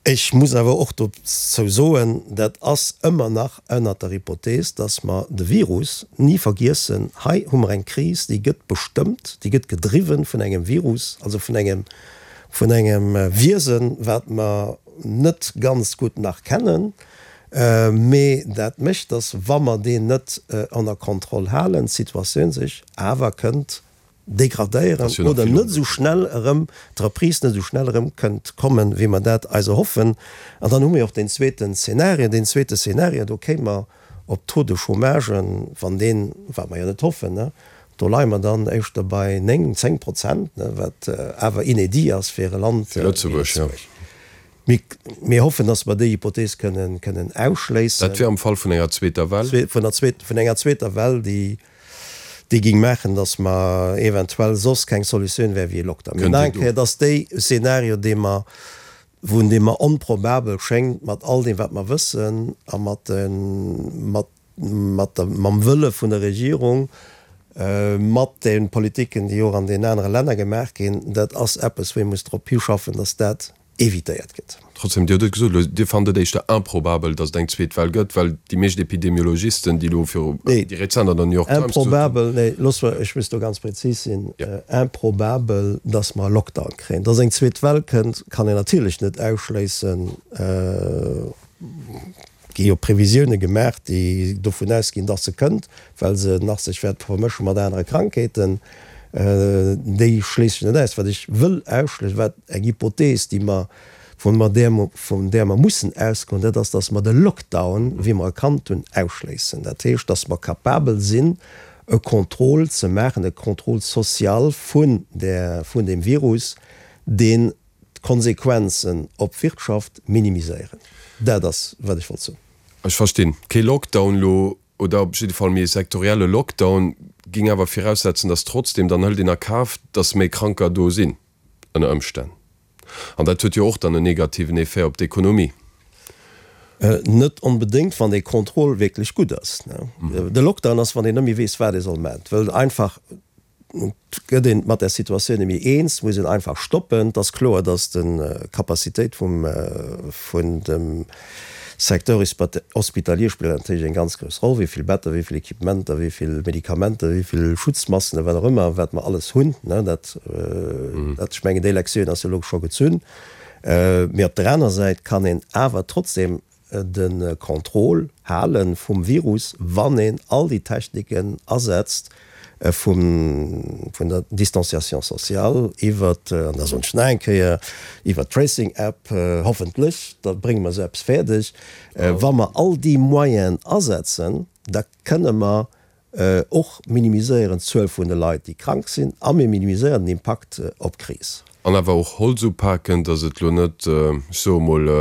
Ech muss awer och dozou soen, dat ass ëmmer nach ënnert der Hypothees, dass mer de Virus ni vergiessen. Hei hu mer eng Kris, déi gëtt bestëmmt, déi gëtt gedriwwen vun engem Virus, also vun engem, vun engem Wiesen, wat mer net ganz gutt nach kennen. Mee dat mécht, dass, wa mer deen net ënner Kontroll halen, d'Situatioun sech awer kënnt degradéieren oder net esou schnell erëm, d'Reprise net esou schnell erëm kënnt kommen, wéi mer dat eis erhoffen. An dann hu mir och deen zweeten Szenario. Deen zweete Szenario, do kéime mer op Taux de chômage, wann deen, wat mer jo net hoffen, do leie mer dann éischter bei néng, zéng Prozent, wat awer inédit ass fir e Land wéi Lëtzebuerg. Mir hoffen, dass mer déi Hypothees kënnen, kënnen ausschléissen. Dat wär am Fall vun enger zweeter Well? Vun der zweet, vun enger zweeter Well, déi, déi géing maachen, dass mer eventuell soss keng Solutioun wär wéi e Lockdown. Mee nach eng Kéier, et ass dee Szenario, dee mer, vun deem mer onprobabel schéngt, mat all deem, wat mer wëssen a mat de, mat, mat der, mam Wëlle vun der Regierung, mat de Politiken, déi och an den anere Länner gemaach ginn. Dat ass eppes, wou ee muss drop hischaffen, dass dat evitéiert gëtt. Trotzdem, Dir hutt et gesot, elo, Dir fannt et éischter improbabel, datt et eng zweet Well gëtt, well déi meescht Epidemiologisten, déi elo viru, Nee, déi rezent an der New York Times gesot hunn. improbabel, nee, looss mer, ech muss do ganz prezis sinn, improbabel, datt mer e Lockdown kréien. Datt eng zweet Well kënnt, kann een natierlech net ausschléissen. Gi jo Previsioune gemaach, déi dovun ausginn, datt se kënnt, well se nach sech wäert vermësche mat anere Krankheeten. Déi schléiss ech net aus. Wat ech wëll ausschléissen, wat eng Hypothees, déi mer, vun mer där mer, vun där mer mussen ausgoen, dat ass, datt mer de Lockdown, wéi mer e kannt hunn, ausschléissen. Dat heescht, datt mer capabel sinn, e Contrôle ze maachen, e Contrôle social vun där, vun deem Virus, deen d'Konsequenzen op d'Wirtschaft minimiséieren. Dat ass, wat ech wollt soen. Ech verstinn. Kee Lockdown elo, oder op jidde Fall méi e sektorielle Lockdown, géing awer viraussetzen, datt trotzdem, dann hëlt een a Kaf, datt méi Kranker do sinn ënner Ëmstänn. An dat huet jo och dann en negativen Effet op d'Ekonomie. Net onbedéngt, wann dee Contrôle wierklech gutt ass. De Lockdown ass, wann een net méi weess, wat ee soll maachen, wëll einfach gëtt een mat der Situatioun net méi eens, muss een einfach stoppen. Et ass kloer, datt d'Capacitéit vum, vun dem Secteur hospitalier spillt natierlech eng ganz grouss Roll, wéi vill Better, wéi vill Equipementer, wéi vill Medikamenter, wéi vill Schutzmasken, wat och ëmmer, wat mer alles hunn, ne, dat, dat, ech mengen, déi Lektioun ass jo elo scho gezunn. Mee op der aner Säit kann een awer trotzdem de Contrôle hale vum Virus, wann een all déi Techniken asetzt, vum, vun der Distanciation sociale iwwert, an da soen ech nach eng Kéier, iwwert d'Tracing App, hoffentlech, da brénge mer esou eppes fäerdeg. Wa mer all déi Moyenen asetzen, da kënne mer och minimiséieren d'Zuel vun de Leit, déi krank sinn, a mir minimiséieren den Impakt op d'Kris. An awer och Holz upaken, datt et elo net, ech soe mol,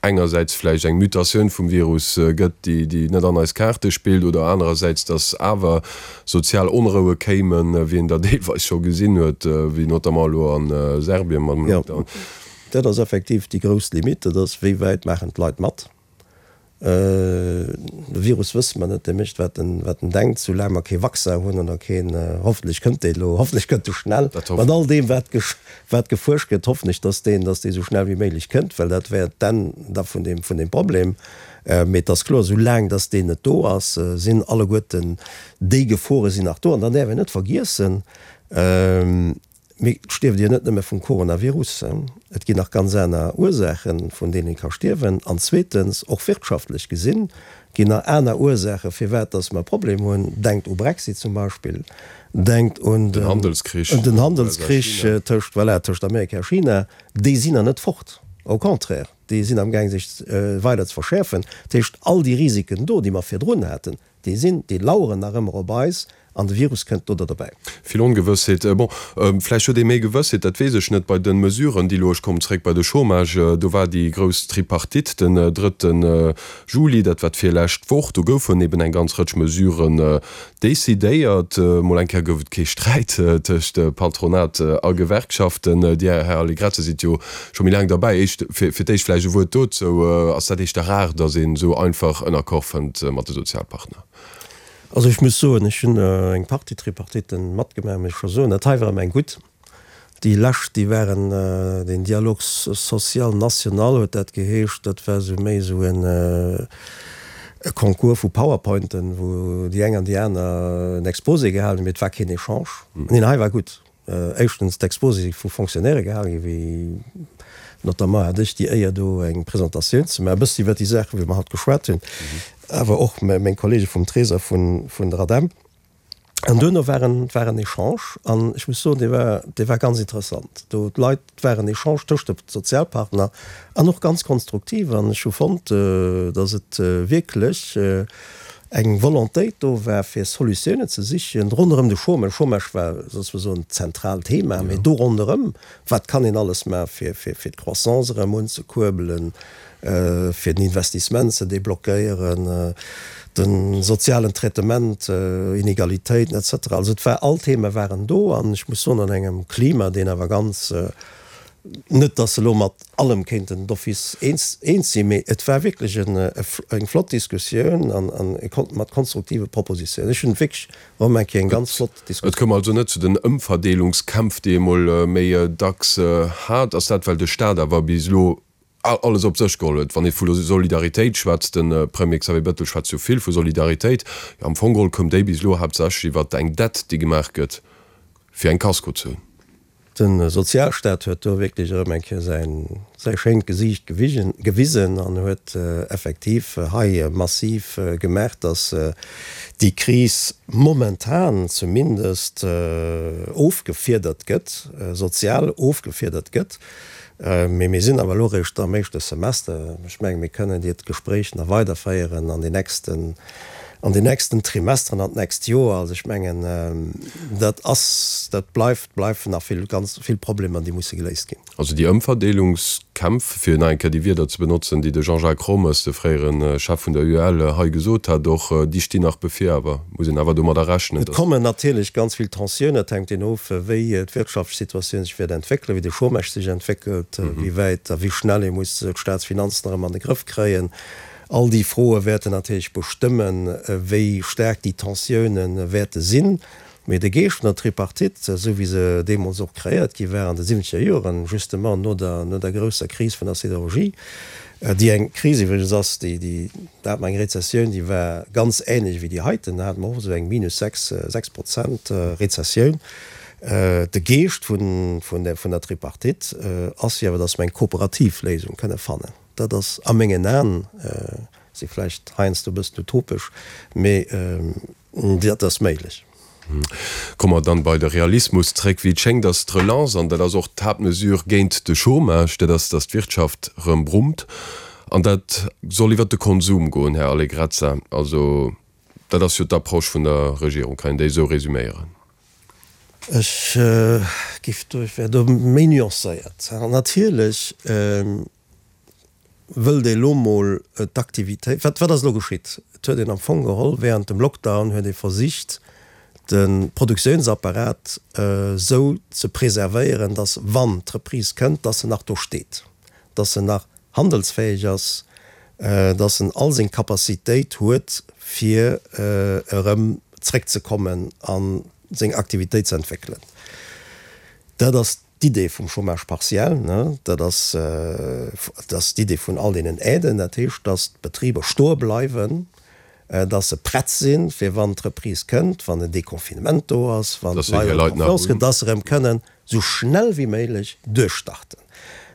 engersäits vläicht eng Mutatioun vum Virus gëtt, déi, déi net an eis Kaarte spillt, oder anerersäits, datt awer sozial Onroue kéimen, wéi een der deelweis scho gesinn huet, wéi notamment elo a Serbien mam Lockdown. Jo, dat ass effektiv déi grouss Limite, dat ass, wéi wäit maachen d'Leit mat. De Virus wësse mer net, dee mécht wat en wat en denkt, soulaang mer kee Vaccin hunn oder keen, hoffentlech kënnt dee elo, hoffentlech kënnt e schnell, mat all deem wat wat gefuerscht gëtt, hoffen ech, datt deen datt dee sou schnell wéi méiglech kënnt, well dat wär d'Enn da vun deem vun deem Problem. Mee et ass kloer, soulaang datt deen net do ass, sinn alleguerten déi Gefore sinn nach do. An dann däerf een net vergiessen, Mee et stierft jo net nëmme vum Coronavirus. Et ginn nach ganz aner Ursaachen, vun deenen ee ka stierwen. An zweetens, och wirtschaftlech gesinn, ginn nach aner Ursaachen, firwat dass mer e Problem hunn. Denkt u Brexit zum Beispill, denkt un den Handelskrich, den Handelskrich tëscht, voilà, tëscht Amerika a China. Déi sinn nach net fort, au contraire, déi sinn amgaang sech weider ze verschäerfen. Dat heescht, all déi Risiken do, déi mer virdrun haten, déi sinn, déi laueren nach ëmmer op eis. An de Virus kënnt do derbäi. Vill Ongewëssheet. Bon, vläicht huet ee méi Gewëssheet, dat weess ech net, bei de Mesuren, déi elo, ech kommen zréck bei de Chômage, do war déi grouss Tripartite den drëtte Juli, dat war d'virlescht Woch, do goufen eben eng ganz Rëtsch Mesuren decidéiert. Mol eng Kéier gouf et kee Sträit tëscht Patronat a Gewerkschaften. Dir, Här Allegrezza, sidd jo scho méi laang derbäi. Éischt, fir d'éischt vläicht e Wuert dozou, Ass dat éischter rar, datt een esou einfach en Accord fënnt mat de Sozialpartner? Also ech muss soen, ech hunn eng Partie Tripartitten matgemaach, muss ech scho soen, dat hei war ëm eng gutt. Déi lescht, déi waren, den Dialogue social national huet dat geheescht, dat war esou méi esou en e Concours vu Powerpointen, wou déi eng an déi aner en Exposé gehalen hunn, mee et war keen Echange. Neen, hei war gutt. Éischtens, d'Exposé si vu Fonctionnairë gehale ginn, wéi notamment hat ech déi Éier do eng Presentatioun ze maachen, e bëssi iwwert déi Saachen, wéi mer haut geschwat hunn, awer och meng Kollege vum Trésor vun vun der ADEM. An duerno war en war en Echange an ech muss soen, dee war dee war ganz interessant. Do d'Leit, et war en Echange tëscht de Sozialpartner an och ganz konstruktiv an ech hu fonnt, datt et wierklech eng Volontéit do war, fir Solutiounen ze sichen ronderëm de Chômage. Chômage war souzesoen d'zentraalt Thema, mee do ronderëm, wat kann een alles maachen, fir, fir d'Croissance erëm unzekuerbelen, fir den Investissement ze deblockéieren, de sozialen Traitement, Inegalitéiten et cetera. Also et war, all Theme waren do an ech muss soen, an engem Klima, deen awer ganz, Net, datt se elo mat allem kéinten d'office eens sinn, mee et war wierklech eng flott Diskussioun an mat konstruktive Propositiounen. Ech hunn wierklech erëm eng Kéier eng ganz flott Diskussioun. Et koum also net zu den Ëmverdeelungskämpf, déi ee mol méi dacks hat. Ass dat, well de Staat awer bis elo alles op sech geholl huet? Wann ee vu Solidaritéit schwätzt, de Premier Xavier Bettel schwätzt jo vill vu Solidaritéit, jo am Fong geholl koum déi bis elo haaptsächlech iwwert eng Dett, déi gemaach gëtt, fir eng Kasko ze hunn. De Sozialstaat huet do wierklech erëm eng Kéier säin, säi schéint Gesiicht gewisen an huet effektiv hei massiv gemaach, dass déi Kris momentan zumindest ofgefiedert gëtt, sozial ofgefiedert gëtt. Mee mir sinn awer elo eréischt am éischte Semester. Ech mengen, mir kënnen diert Gespréich nach weiderféieren an den nächsten, an den nächsten Trimesteren, an d'nächst Joer. Also ech mengen, dat ass, dat bleift, bleifen nach vill, ganz vill Problemer, déi musse geléist ginn. Also déi Ëmverdeelungskämpf, fir nach eng Kéier déi Wierder ze benotzen, déi de Jean-Jacques Rommes, de fréiere Chef vun der U E L, hei gesot hat, och déi stinn nach bevir. Awer muss een awer domadder rechnen, Et datt. kommen natierlech ganz vill Tensiounen. Et hänkt een of, wéi d'wirtschaftlech Situatioun sech wäert entwéckelen, wéi de Chômage sech entwéckelt, wéi wäit a wéi schnell ee muss d'Staatsfinanzen erëm an de Grëff kréien. All déi Froe wäerten natierlech bestëmmen, wéi staark déi Tensiounen wäerte sinn. Mee de Geescht vun der Tripartite, esou wéi se deemools och kreéiert gi war an de siwwenzeger Joren, justement no der, no der grousser Kris vun der Siderurgie, déi eng Kris iwwregens ass, déi, déi, da hat mer eng Rezessioun, déi war ganz ähnlech wéi déi heiten, da hate mer och esou eng minus sechs, sechs Prozent Rezessioun. De Geescht vun, vun der, vun der Tripartite ass jo awer, datt mer eng kooperativ Léisung kënne fannen. Dat ass a mengen Aen, si vläicht heiansdo e bëssen utopesch, mee dat ass méiglech. Komme mer dann bei de Realismus zréck. Wéi et schéngt, ass d'Relance, an dat ass och d'Haaptmesure géint de Chômage, dat ass, datt d'Wirtschaft erëm brummt. An dat soll iwwert de Konsum goen, Här Allegrezza. Also dat ass jo d'Approche vun der Regierung, kann een déi esou resüméieren? Ech géif do, ech wär do méi nuancéiert. Natierlech wëllt ee lo mol d'Aktivitéit, wat, wat ass elo geschitt? Et huet een am Fong geholl während dem Lockdown huet ee versicht, de Produktiounsapparat esou ze preservéieren, datt wann d'Reprise kënnt, datt en nach do steet, datt en nach handelsfäeg ass, datt en all seng Capacitéit huet, fir erëm zréckzekommen a seng Aktivitéit ze entwéckelen. Dat ass d'Idee vum Chômage partiel, dat ass, dat ass d'Idee vun all deenen Aiden. Dat heescht, datt d'Betriber stoe bleiwen, datt se prett sinn, fir wann d'Reprise kënnt, wann den Deconfinement do ass, wann d'Leit erëm Confiance kréien, datt se erëm kënnen esou schnell wéi méiglech duerchstarten.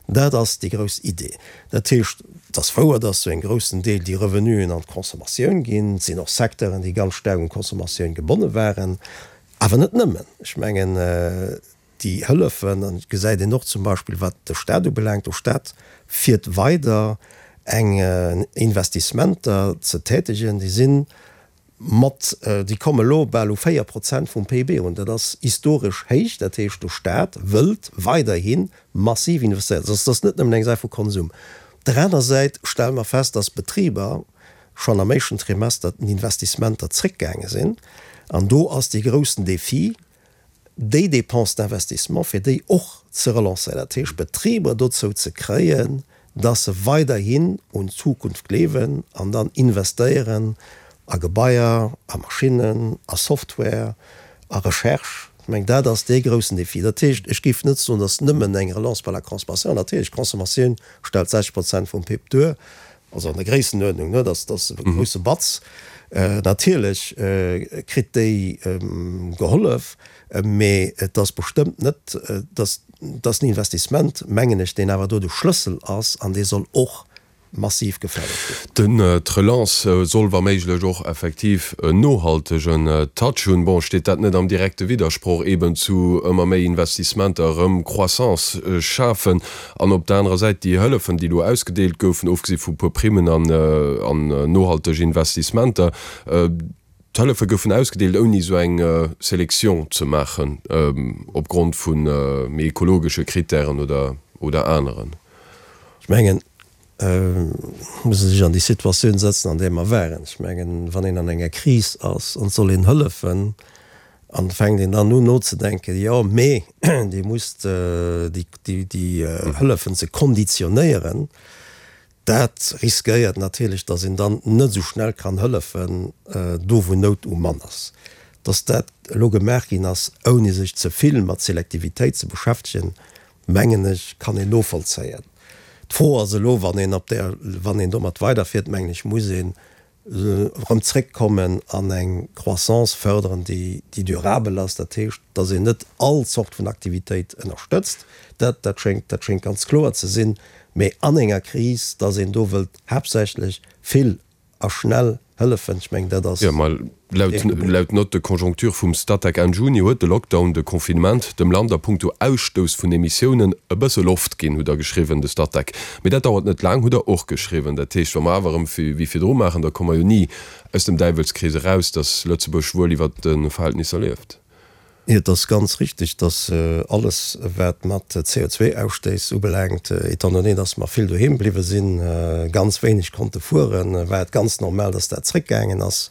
Dat ass déi grouss Idee. Dat heescht, et ass wouer, datt zu engem groussen Deel déi Revenuen an d'Consommatioun ginn. Et sinn och Secteuren, déi ganz staark un d'Consommatioun gebonne waren. Awer net nëmmen. Ech mengen, déi Hëllefen, an et gesäit een och zum Beispill, wat de Stat ubelaangt, de Stat fiert weider eng Investissementer ze tätegen, déi si mat, déi komme elo bal u véier Prozent vum P I B erun. Dat ass historesch héich. Dat heescht, de Stat wëllt weiderhi massiv investéieren. Dat ass net nëmmen eng Saach vu Konsum. Op der aner Säit stelle mer fest, dass d'Betriber schonn am éischten Trimester den Investissementer zréckgaange sinn. An do ass dee groussen Défi, déi Dépenses d'investissement, fir déi och ze relancéieren, dat heescht d'Betriber dozou ze kréien, dass se weiderhin un d'Zukunft gleewen an dann investéieren a Gebaier, a Maschinnen, a Software, a Recherche. Ech mengen, dat ass dee groussen Défi. Dat heescht, ech géif net soen, dass nëmmen eng Relance par la consommation, natierlech, d'Consommatioun stellt sechzeg Prozent vum P I B duer, also an der Gréissenuerdnung, ne, dat ass e grousse Batz. Natierlech kritt déi gehollef, mee et ass bestëmmt net, dass dass den Investissement, mengen ech, deen awer do de Schlëssel ass an dee soll och massiv gefërdert ginn. Den d'Relance soll wa méiglech och effektiv en nohaltegen Touch hunn. Bon, steet dat net am direkte Widdersproch eben zu ëmmer méi Investissementer, erëm Croissance schafen an op der anerer Säit déi Hëllefen, déi elo ausgedeelt goufen, ofgesi vu puer Primmen an an nohalteg Investissementer, d'Hëllefe goufen ausgedeelt ouni esou eng Sélection ze maachen opgrond vu méi ekologesche Kritären oder oder aneren? Ech mengen, muss ee sech an déi Situatioun setzen, an där mer waren. Ech mengen, wann een an enger Kris ass an et soll een hëllefen an et fänkt een dann un nozedenken, jo, mee Dir musst déi Hëllefen ze konditionéieren, dat riskéiert natierlech, datt een dann net esou schnell kann hëllefen do, wou Nout um Mann ass. Datt dat elo gemaach ginn ass, ouni sech ze vill mat Selektivitéit ze beschäftegen, mengen ech, kann een novollzéien. D'Fro ass elo, wann een op där, wann een domat weiderfiert, mengen ech, muss een erëm zréckkommen an eng Croissance fördern, déi, déi durabel ass. Dat heescht, dass een net all Zort vun Aktivitéit ënnerstëtzt, dat, dat schéngt, dat schéngt ganz kloer ze sinn, mee an enger Kris, dass een do wëllt haaptsächlech vill a schnell hëllefen, ech mengen, dat ass. Jo, ma laut, laut Note de conjoncture vum Statec Enn Juni huet de Lockdown, de Confinement, dem Land a puncto Ausstouss vun Emissiounen e bësse Loft ginn, hutt Der geschriwwen, de Statec. Mee dat dauert net laang, hutt Der och geschriwwen. Dat heescht, wa mer awer erëm wéi virdru maachen, da komme mer jo ni aus dem Däiwelskrees eraus, datt Lëtzebuerg wuel iwwert de Verhältnisser lieft. Et ass ganz richtig, dass alles, wat mat C O zwei Ausstéiss ubelaangt, étant donné, dass mer vill doheem bliwwe sinn, ganz wéineg konnte fueren, war et ganz normal, dass dat zréckgaangen ass.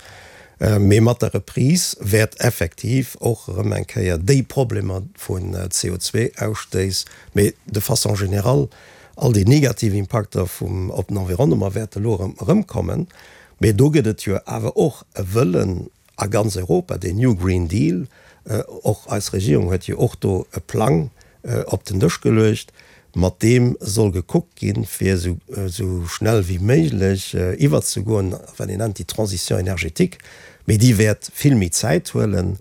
Mee mat der Reprise wäert effektiv och erëm eng Kéier déi Problemer vun C O zwei Ausstéiss, mee de façon générale all déi negativ Impakter vum op den Environnement wäerte elo erëm erëmkommen. Mee do gëtt et jo awer och e Wëllen a ganz Europa, deen New Green Deal, Och eis Regierung huet jo och do e Plang op den Dësch geluecht, mat deem soll gekuckt ginn, fir esou schnell wéi méiglech iwwerzegoen, wat een nennt déi Transition énergétique. Mee déi wäert vill méi Zäit huelen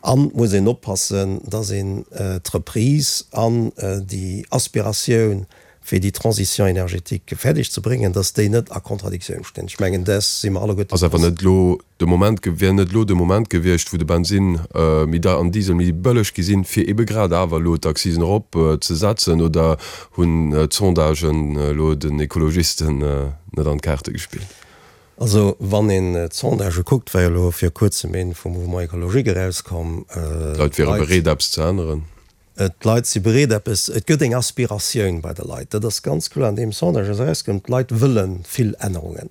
an et muss een oppassen, dass een d'Reprise an déi Aspiratioun, fir déi Transition énergétique fäerdeg ze bréngen, dass déi net a Kontradiktioun stinn. Ech mengen, däers si mer alleguerte Ass awer net elo de Moment, wär net elo de Moment gewiescht, wou de Bensinn méi deier an Diesel méi bëlleg gi sinn, fir ebe grad awer elo d'Accisen erop ze setzen? Oder hunn d'Sondagen elo den Ekologisten net an d'Kaarte gespillt? Also wann een d'Sondagë kuckt, war jo elo vir kuerzem een vum Mouvement Écologique erauskomm, D'Leit wiere bereet eppes ze änneren. D'Leit si bereet eppes, et gëtt eng Aspiratioun bei de Leit, dat ass ganz kloer an deem Sondage ass erauskomm, d'Leit wëlle vill Ännerungen.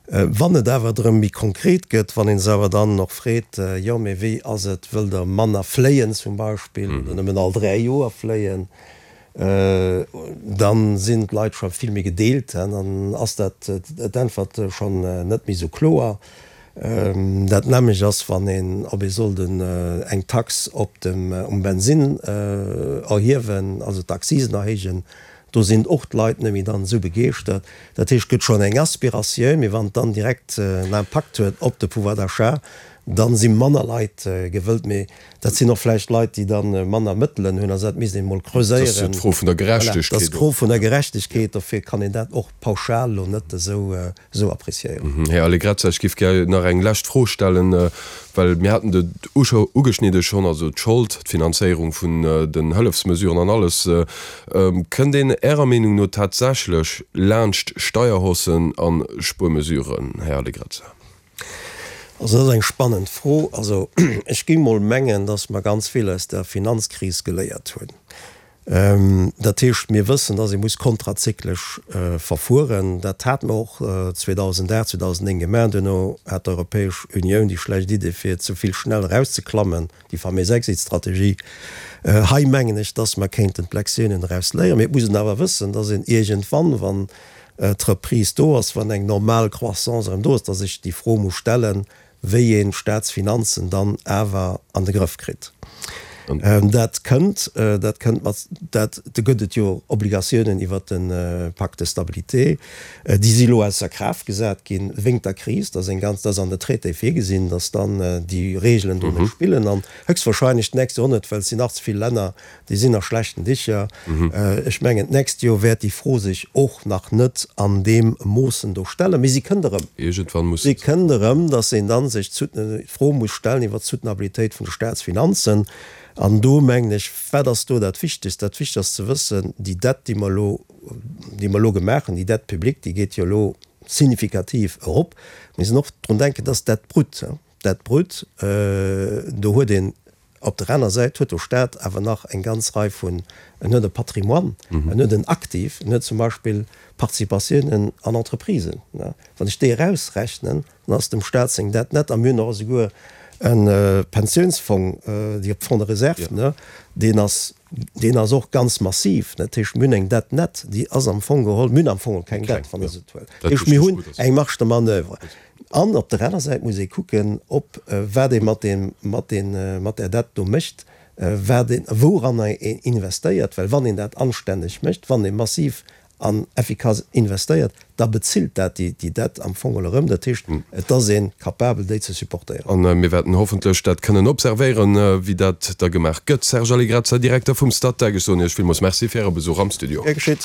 Wann et awer drëm méi konkret gëtt, wann ee se awer dann och freet, jo mee wéi ass et, wëllt Der manner fléien zum Beispill oder nëmmen all dräi Joer fléien, da sinn d'Leit scho vill méi gedeelt, dann ass dat d'Äntwert schonn net méi esou kloer. Dat nämmlecht ass, wann een, ob ee sollt eng Tax op dem, um Bensinn erhiewen, also d'Accisen erhéijen, do sinn och d'Leit net méi dann esou begeeschtert. Dat heescht, et gëtt schonn eng Aspiratioun, mee wann et dann direkt en Impakt huet op de Pouvoir d'achat, da si manner Leit gewëllt. Mee dat sinn och vläicht Leit, déi da manner Mëttelen hunn. Also dat misst een emol creuséieren. Dat ass jo d'Fro vun der Gerechtegkeet. Dat ass d'Fro vun der Gerechtegkeet. Dofir kann een dat och pauschal elo net esou esou appréciéieren. Här Allegrezza, ech géif gär nach eng lescht Fro stellen, well mir haten et ugeschnidde schonn, also d'Schold, d'Finanzéierung vun den Hëllefsmesuren an alles. Kënnt een Ärer Meenung no tatsächlech laanscht Steierhaussen a Spuermesuren, Här Allegrezza? Also dat ass eng spannend Fro. Also ech géing mol mengen, datt mer ganz vill aus der Finanzkris geléiert hunn. Dat heescht, mir wëssen, dass ee muss kontrazyklesch verfueren. Dat hate mer och zweedausendacht, zweedausennéng gemaach. Duerno hat d'Europäesch Unioun déi schlecht Idee, fir ze vill schnell erauszeklammen, déi faméis Exit-Strategie. Hei mengen ech, dass mer kéinten d'Lektiounen eraus léieren. Mee et muss een awer wëssen, dass een iergendwann, wann d'Reprise do ass, wann eng normal Croissance erëm do ass, dass sech déi Fro muss stellen, wéi een d'Staatsfinanzen dann awer an de Grëff kritt. Dat kënnt, dat kënnt mat, dat, do gëtt et jo Obligatiounen iwwert de Pacte de stabilité, déi si elo ausser Kraaft gesat ginn wéngt der Kris. Dat ass eng ganz, dat ass an de Traitéë virgesinn, datt dann déi Regelen do net spillen an höchstwahrscheinlech d'nächst Joer net, well et sinn nach ze vill Länner, déi sinn a schlechten Dicher. Ech mengen, d'nächst Joer wäert déi Fro sech och nach net an deem Moossen do stellen, mee si kënnt erëm. Iergendwann muss se. Si kënnt erëm, datt een da sech d'Fro muss stellen iwwert d'Soutenabilitéit vun de Staatsfinanzen. An do mengen ech, wat ass do dat Wichtegst? Dat Wichtegst ass ze wëssen, déi Dette, déi mer elo, déi mer elo gemaach hunn, déi Dette publique, déi geet jo elo signifikativ erop. Mir müssen och drun denken, dass d'Dette brute, d'Dette brute, do huet een op der aner Säit huet de Stat awer nach eng ganz Rei vun, en huet e Patrimoine, en huet en Aktiv, en huet zum Beispill Participatiounen an Entreprisen. Wann ech déi erausrechnen, dann ass dem Stat seng Dette net, a mir hunn och esouguer e Pensiounsfong, déi Fonds de réserve, ne, deen ass, deen ass och ganz massiv. Dat heescht, mir hunn eng Dette nette, déi ass am Fong geholl, mir hunn am Fong geholl keng Dette, wann Der esou wëllt. Dat heescht, mir hunn eng Marge de manoeuvre. An op der aner Säit muss ee kucken, ob, wat ee mat deem, mat deen, mat där Dette do mécht, wat een, wouranner een investéiert, well wann een dat anstänneg mécht, wann ee massiv an effikass investéiert, da bezilt dat déi Dette am Fong geholl erëm. Dat heescht, et ass ee capabel, déi ze supportéieren. A mir wäerten hoffentlech dat kënnen observéieren, wéi dat da gemaach gëtt. Serge Allegrezza, Direkter vum Statec, ech soen Iech villmools Merci fir Äre Besuch am Studio. Gär geschitt.